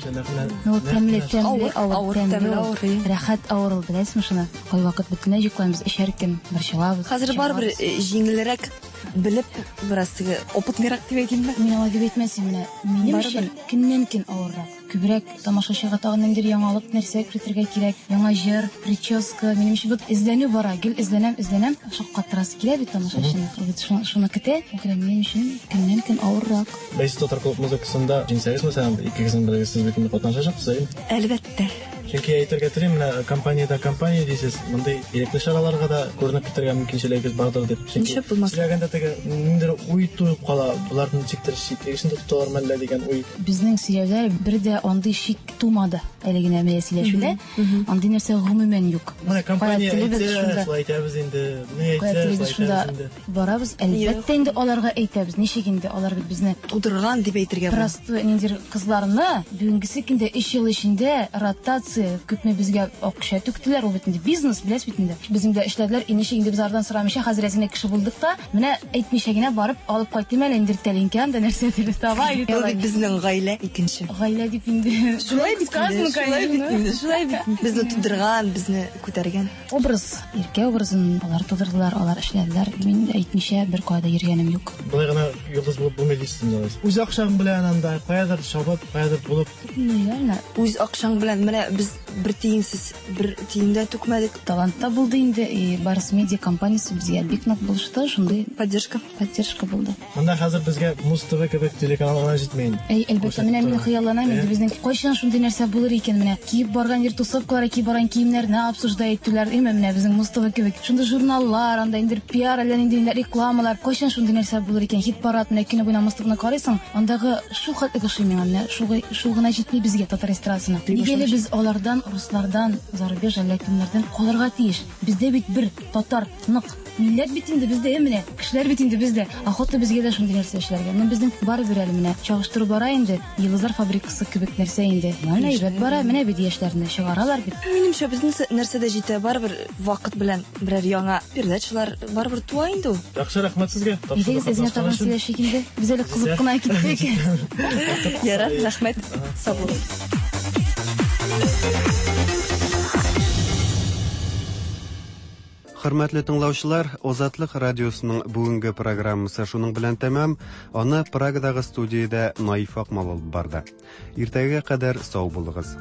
Ну, тәмле, тәмле, авыр, тәмле, авыр. Рәхәт авыр ул, беләсезме шуны? Кайвакыт бөтенләй йокламыйбыз, эчәр көн борчылабыз. Хәзер барыбер җиңелрәк белеп, бераз теге опытныйрак дип әйтимме? Мин алай дип әйтмәс идем, менә минем өчен көннән-көн авыррак. Күбрәк тамашачыга тагын ниндидер яңалык нәрсә кертергә кирәк, яңа җыр, прическа. Минем өчен вот эзләнү бара, гел эзләнәм, эзләнәм. Шаккатырасы килә бит тамашачыны. Вот шуны көтә. Күрә минем өчен көннән-көн авыррак. Бәйсез татар клуб музыкасында җиңсәгез, мәсәлән, икегезнең берегез сез бит инде катнашачаксыз, әйеме? Әлбәттә. Чөнки әйтергә телим, менә компаниядә компания дисез, мондый ирекле чараларга да күренеп китәргә мөмкинчелегегез бардыр дип. Чөнки Ничек булмас? Сөйләгәндә теге ниндидер уй туып кала, боларны ничектер читлек эчендә тоталар мәллә дигән уй. Безнең сөйләүдә бер дә андый шик тумады әле генә менә сөйләшүдә. Андый нәрсә гомумән юк. Менә компания Кая телебез әйтсә, шунда. шулай әйтәбез инде, ни Кая әйтсә, телебез шулай шунда әйтәбез инде. барабыз. Әлбәттә инде аларга әйтәбез. Ничек инде алар бит безне тудырган дип әйтергә була. Простой ниндидер кызларны бүгенгесе көндә 3 ел эчендә ротация. инвестиция, күпме безгә акча түктеләр, ул бит инде бизнес, беләсез бит инде. Безнең дә эшләделәр, и ничек инде без алардан сорамыйча, хәзер әз генә кеше булдык та, менә әйтмичә генә барып алып кайтыйм әле инде тәлинкә, анда нәрсәдер таба или Ул бит безнең гаилә икенче. Гаилә дип инде. Шулай бит инде, шулай бит инде, шулай бит. Безне тудырган, безне күтәргән. Образ, Иркә образын алар тудырдылар, алар эшләделәр. Мин әйтмичә бер кая да йөргәнем юк. Болай гына йолдыз булып булмый дисез инде алайса. Үз акчаң белән анда каядыр чабып, каядыр булып. Ну, реально. Үз акчаң белән менә без бер тиенсез, бер тиен дә түкмәдек. Талант та булды инде, и Барс Медиа компаниясе безгә бик нык булышты, шундый поддержка. Поддержка булды. Монда хәзер безгә Муз ТВ кебек телеканал гына җитми инде. Әй, әлбәттә, менә мин хыялланам инде безнең кайчан шундый нәрсә булыр икән, менә киеп барган йир тусовкаларга киеп барган киемнәрне обсуждать итүләр, әйме, менә безнең Муз ТВ кебек. Шундый журналлар, анда инде пиар, әллә нинди рекламалар, кайчан шундый нәрсә булыр икән, хит-парад, менә көне буена Муз ТВны карыйсың, андагы шул хәтле ошый миңа, менә шул, шул гына җитми безгә татар эстрадасына. Нигә әле без алардан, руслардан, зарубеж әллә кемнәрдән калырга тиеш? Бездә бит бер татар нык Милләт бит инде бездә, ә менә кешеләр бит инде бездә. Охота безгә дә шундый нәрсә эшләргә. Но безнең барыбер әле менә чагыштыру бара инде. Йолдызлар фабрикасы кебек нәрсә инде. Менә әйбәт бара, менә бит яшьләрне чыгаралар бит. Минемчә, безнең нәрсә дә җитә, барыбер вакыт белән берәр яңа передачалар барыбер туа инде ул. Яхшы, рәхмәт сезгә. Әйдәгез, әзгә тагын сөйләшик инде. Без әле кызып кына киттек. Ярар, рәхмәт. Сау булыгыз. Хөрмәтле тыңлаучылар, Озатлык радиосының бүгенге программасы шуның белән тәмам. Аны Прагадагы студиядә Наиф Акмал алып барды. Иртәгә кадәр сау булыгыз.